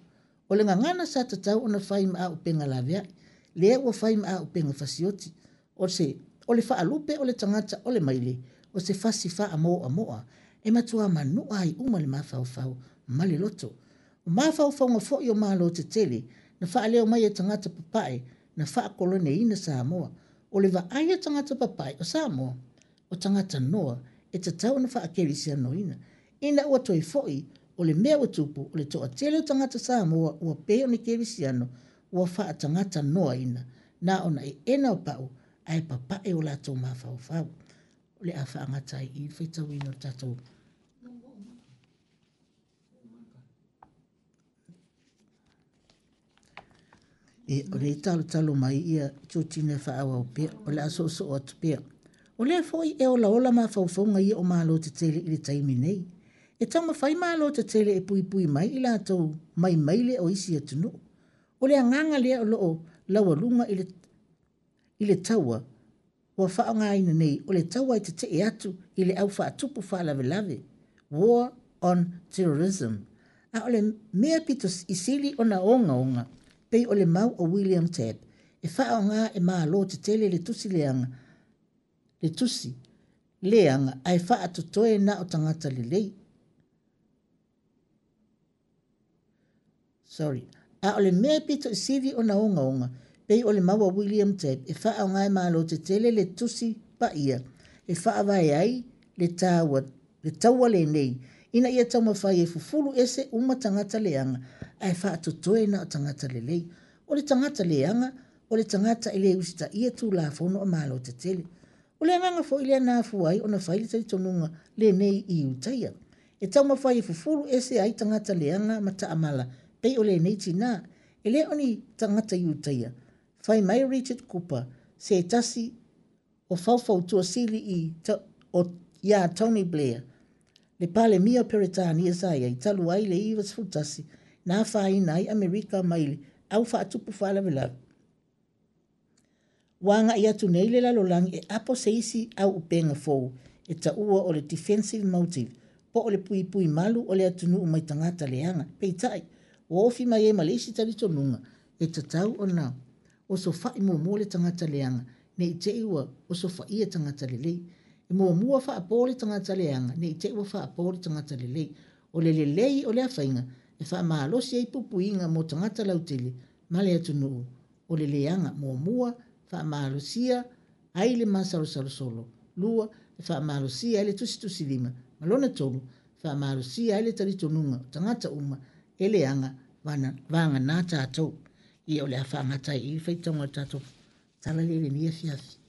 O le gagana sa tatau ona fai ma auupega laveai, lea ua fai ma auupega fasioti. O se o le faalupe o le tagata o le maile, o se fasi faamoamoa, e matua manua ai uma le mafaufau ma le loto. O mafaufauga foi o Malo tetele na faaleo mai e tagata papae na faakoloneina Samoa. O le vaai a tagata papae o Samoa, o tagata noa e tatau ona faakerisianoina. Ina ua toe foi, o le mea ua tupu, o le toatele o tagata Samoa ua pei o ni kerisiano ua faatagata noaina, na ona eena o pau ae papae o latou mafaufau. O le a faagata ai i le faitauina o le tatou E, o lea e talotalo mai ia Georgina e faaauau pea, o le a soosoo atu pea. O lea foi e olaola mafaufauga ia o Malo tetele i le taimi nei. E taumafai Malo tetele e puipui mai i latou mai maile o isi atunuu. O le agaga lea o lo o laualuga i le, i le taua ua faaaogaina nei o le taua e tetee atu i le au faatupu faalavelave, war on terrorism. A o le mea pito i sili ona ogaoga, pei o le mau o William Tabb, e faaaoga e Malo tetele le tusi leaga, le tusi leaga ae faatotoe na o tagata lelei. Sorry. A o le mea pito i sili ona ogaoga, pei o le mau a William Tabb e faaaoga e Malo tetele le tusi paia e faavae ai le taua, le taua lenei, ina ia taumafai e fufulu ese uma tagata leaga ae faatotoe na o tagata lelei. O le tagata leaga, o le tagata e le usitaia Tulafono a Malo tetele. O le agaga foi lea na afua ai ona fai le talitonuga lenei i Iutaia. E taumafai e fufulu ese ai tagata leaga ma taamala pei o lenei tinā. E le o ni tagata Iutaia. Fai mai Richard Cooper, se tasi o faufautua sili i o iā Tony Blair, le Palemia o Peretania sa i ai talu ai le 91 na afaina ai Amerika mai le au faatupu faalavelave. Ua agai atu nei le lalolagi e apo se isi auupega fou e taua o le defensive motive po o le puipui malu o le atunuu mai tagata leaga. Peitai, ua ofi mai ai ma le isi talitonuga e tatau ona osofai muamua le tagata leaga ne i te i ua osofaia tagata lelei. E muamua faapo le tagata leaga ne i te i ua faapo le tagata lelei. O le lelei o lea faiga e faamalosi ai puipuiga mo tagata lautele ma le atunuu o le leaga. Muamua, faamalosia ai le masalosalo solo. Lua, e faamalosia ai le tusitusilima. Ma lona tolu, faamalosia ai le talitonuga o tagata uma e leaga vagana tatou. Ia o le a faagata ai i le faitauga o le tatou tala lea i lenei afiafi.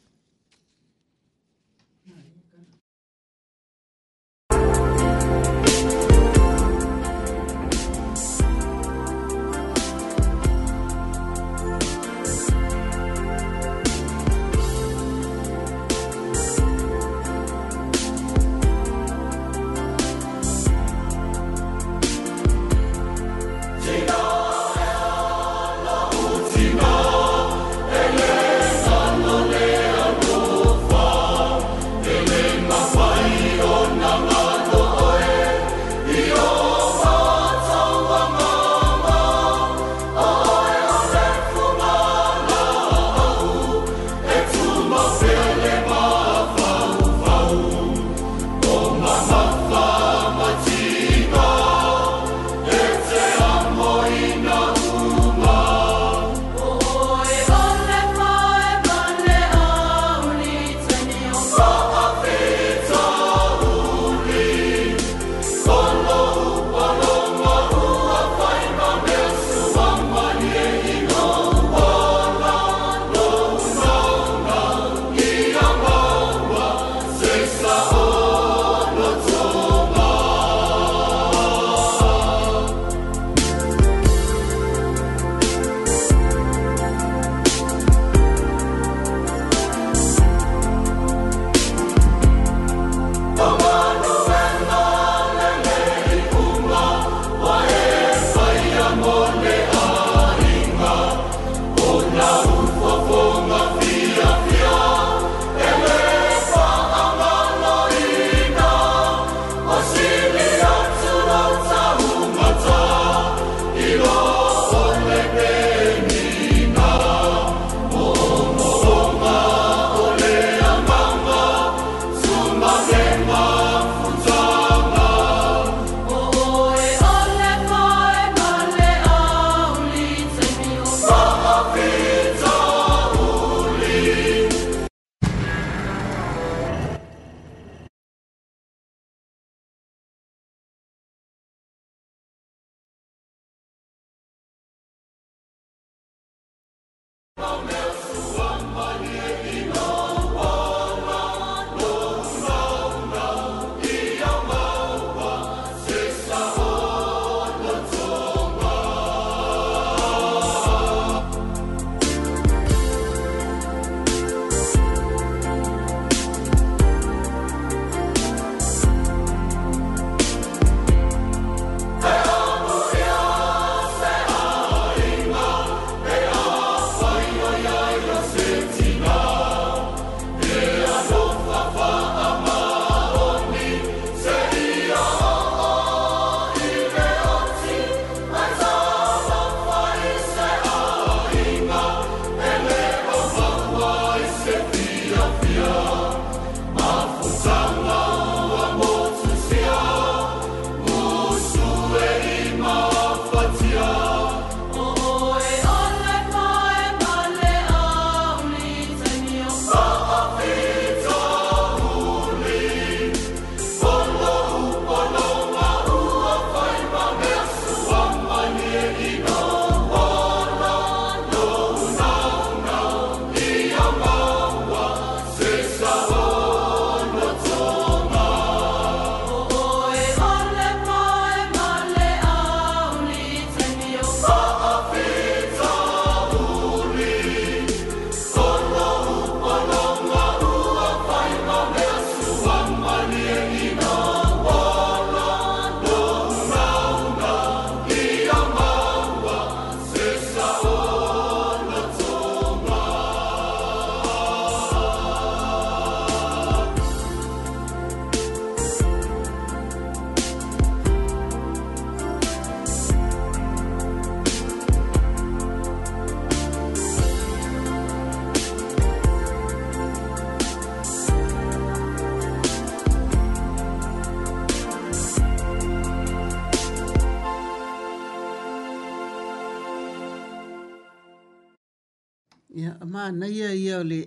manaia ia o le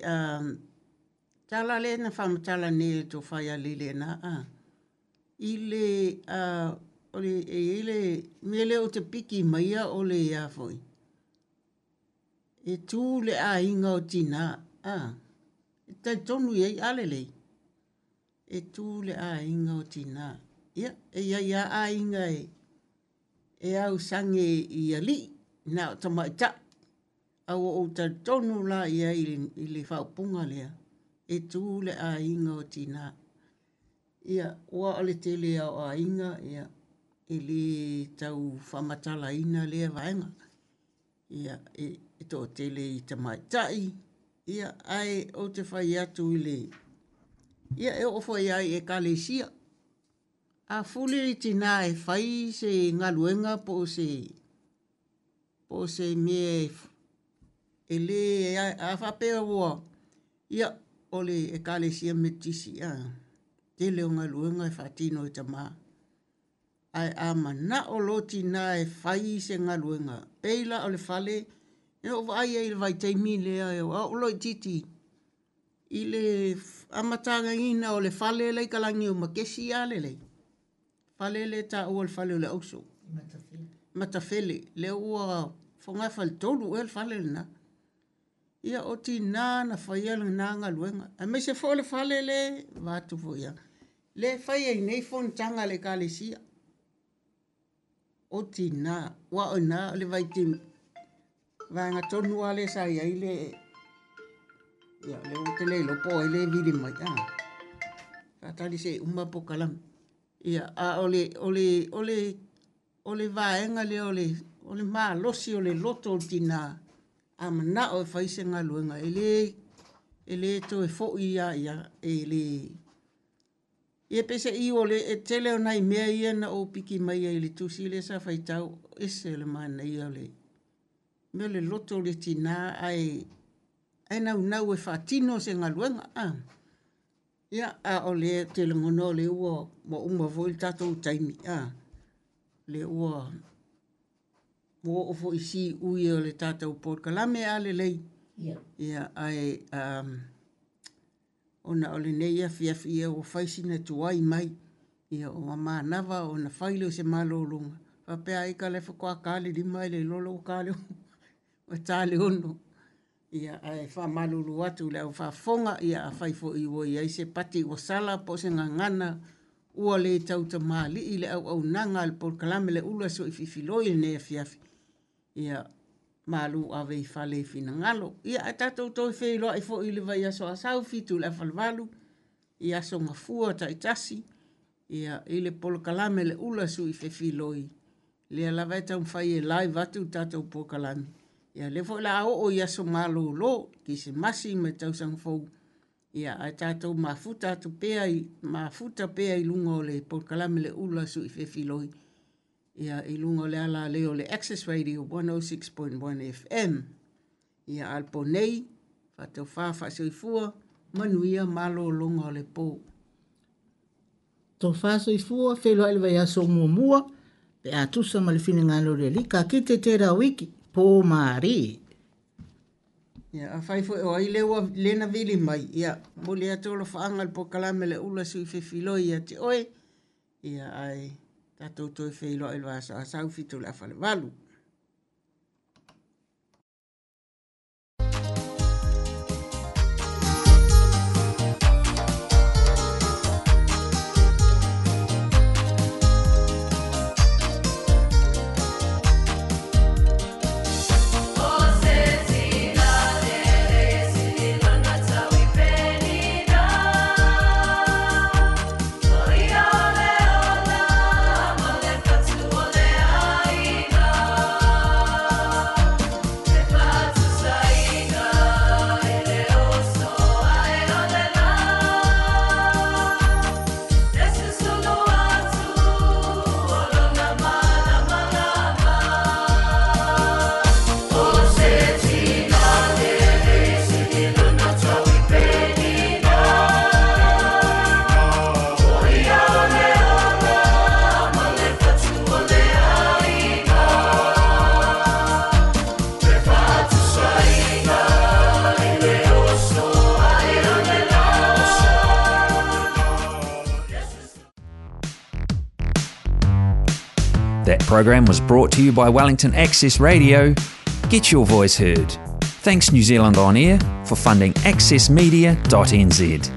tala lea na faamatala nei e le tofa ia Leilena a i le o le e i ai le mea lea ou te piki maia o le a foi e tu le aiga o tina a e talitonu i ai a lelei e tu le aiga o tina ia e i ai lava aiga e e ausage i alii na o tamaitai A ua ou talitonu la i ai i le faaupuga lea, e tu le aiga o tina. Ia, aua o le tele lava o aiga, ia, e le tau faamatalaina lea vaega. Ia, e toatele i tamaitai, ia, ae ou te fai atu i le, ia, e oo foi lava i ekalesia. A fuli le tina e fai se galuega po o se po o se mea e lē a faapea ua ia o le ekalesia Metotisi a tele o galuega e faatino e tamā ae a manao loa tinā e fai se galuega pei la o le fale na ou vaai ai i le vaitaimi lea o a'u lo'itiiti i le amataina o le fale la i Kalani o Makesi a lelei fale lea e taua o le fale o le auso Matafele lea ua fogafaletolu ea le fale lena ia o tinā na faia lena galuega aemaise foi o le fale le vaeatu foi ia lea e fai ai nei fonotaga a le ekalesia o tinā aua o i ina le vaitaimi vaega tonu lava lea sa i ai le ia lea ou te le iloa po o ai lea e vili mai a faatali se i uma le polokalame ia a o le o le o le o le vaega lea o le o le malosi o le loto o le tinā a manao e fai se galuega e le e le toe foi lava ia e le Ia peiseai o le tele o nai mea ia na ou piki mai ai i le tusi lea sa faitau, ese le manaia o le mea o le loto o le tinā ae ae naunau e faatino se galuega. A ia a o lea ou te lagona o lea ua ua uma foi le tatou taimi a lea ua ua oo foi i siui o le tatou polokalame a lelei. Ia ae ona o lenei afiafi ia ua fai sina tuai mai ia ua manava ona fai lea o se malologa faapea ai ita la faatoa ta le 5 ae le iloa la ua ta le ua ta le 6. Ia ae faamalulu atu i le au faafofoga ia afai foi ua i ai se pati ua sala po o se gagana ua le tautamalii i le auaunaga a le polokalame Le Ula Soififiloi i lenei afiafi ia malu ave i fale i finagalo. Ia ae tatou toe feiloai foi i le vaiaso a sau 7 i le afa i aso gafua taitasi ia i le polokalame Le Ula Sui Fefiloi lea lava e taumafai e live atu le tatou polokalame. Ia lea foi la oo i aso malolo, Kerisimasi ma le tausaga fou. Ia ae tatou mafuta atu pea i mafuta pea i luga o le polokalame Le Ula Sui Fefiloi ia i luga o le alalei o le Access Radio 106.1 FM. Ia a le po nei, faatofa faasoifua, manuia malologa o le po. Tofa soifua, feiloai le vaiaso muamua, pe a tusa ma le finagalo o le Alii, ka kite tērā wiki, pō mārie. Ia, afai foi o ai lea ua le na vili mai, ia, momoli atu alofaaga i le polokalame Le Ula Sui Fefiloi ia te oe, ia, ae tatou toe feiloai i le vaiaso a sau 7 i le afa i le 8. That program was brought to you by Wellington Access Radio. Get your voice heard. Thanks New Zealand On Air for funding accessmedia.nz.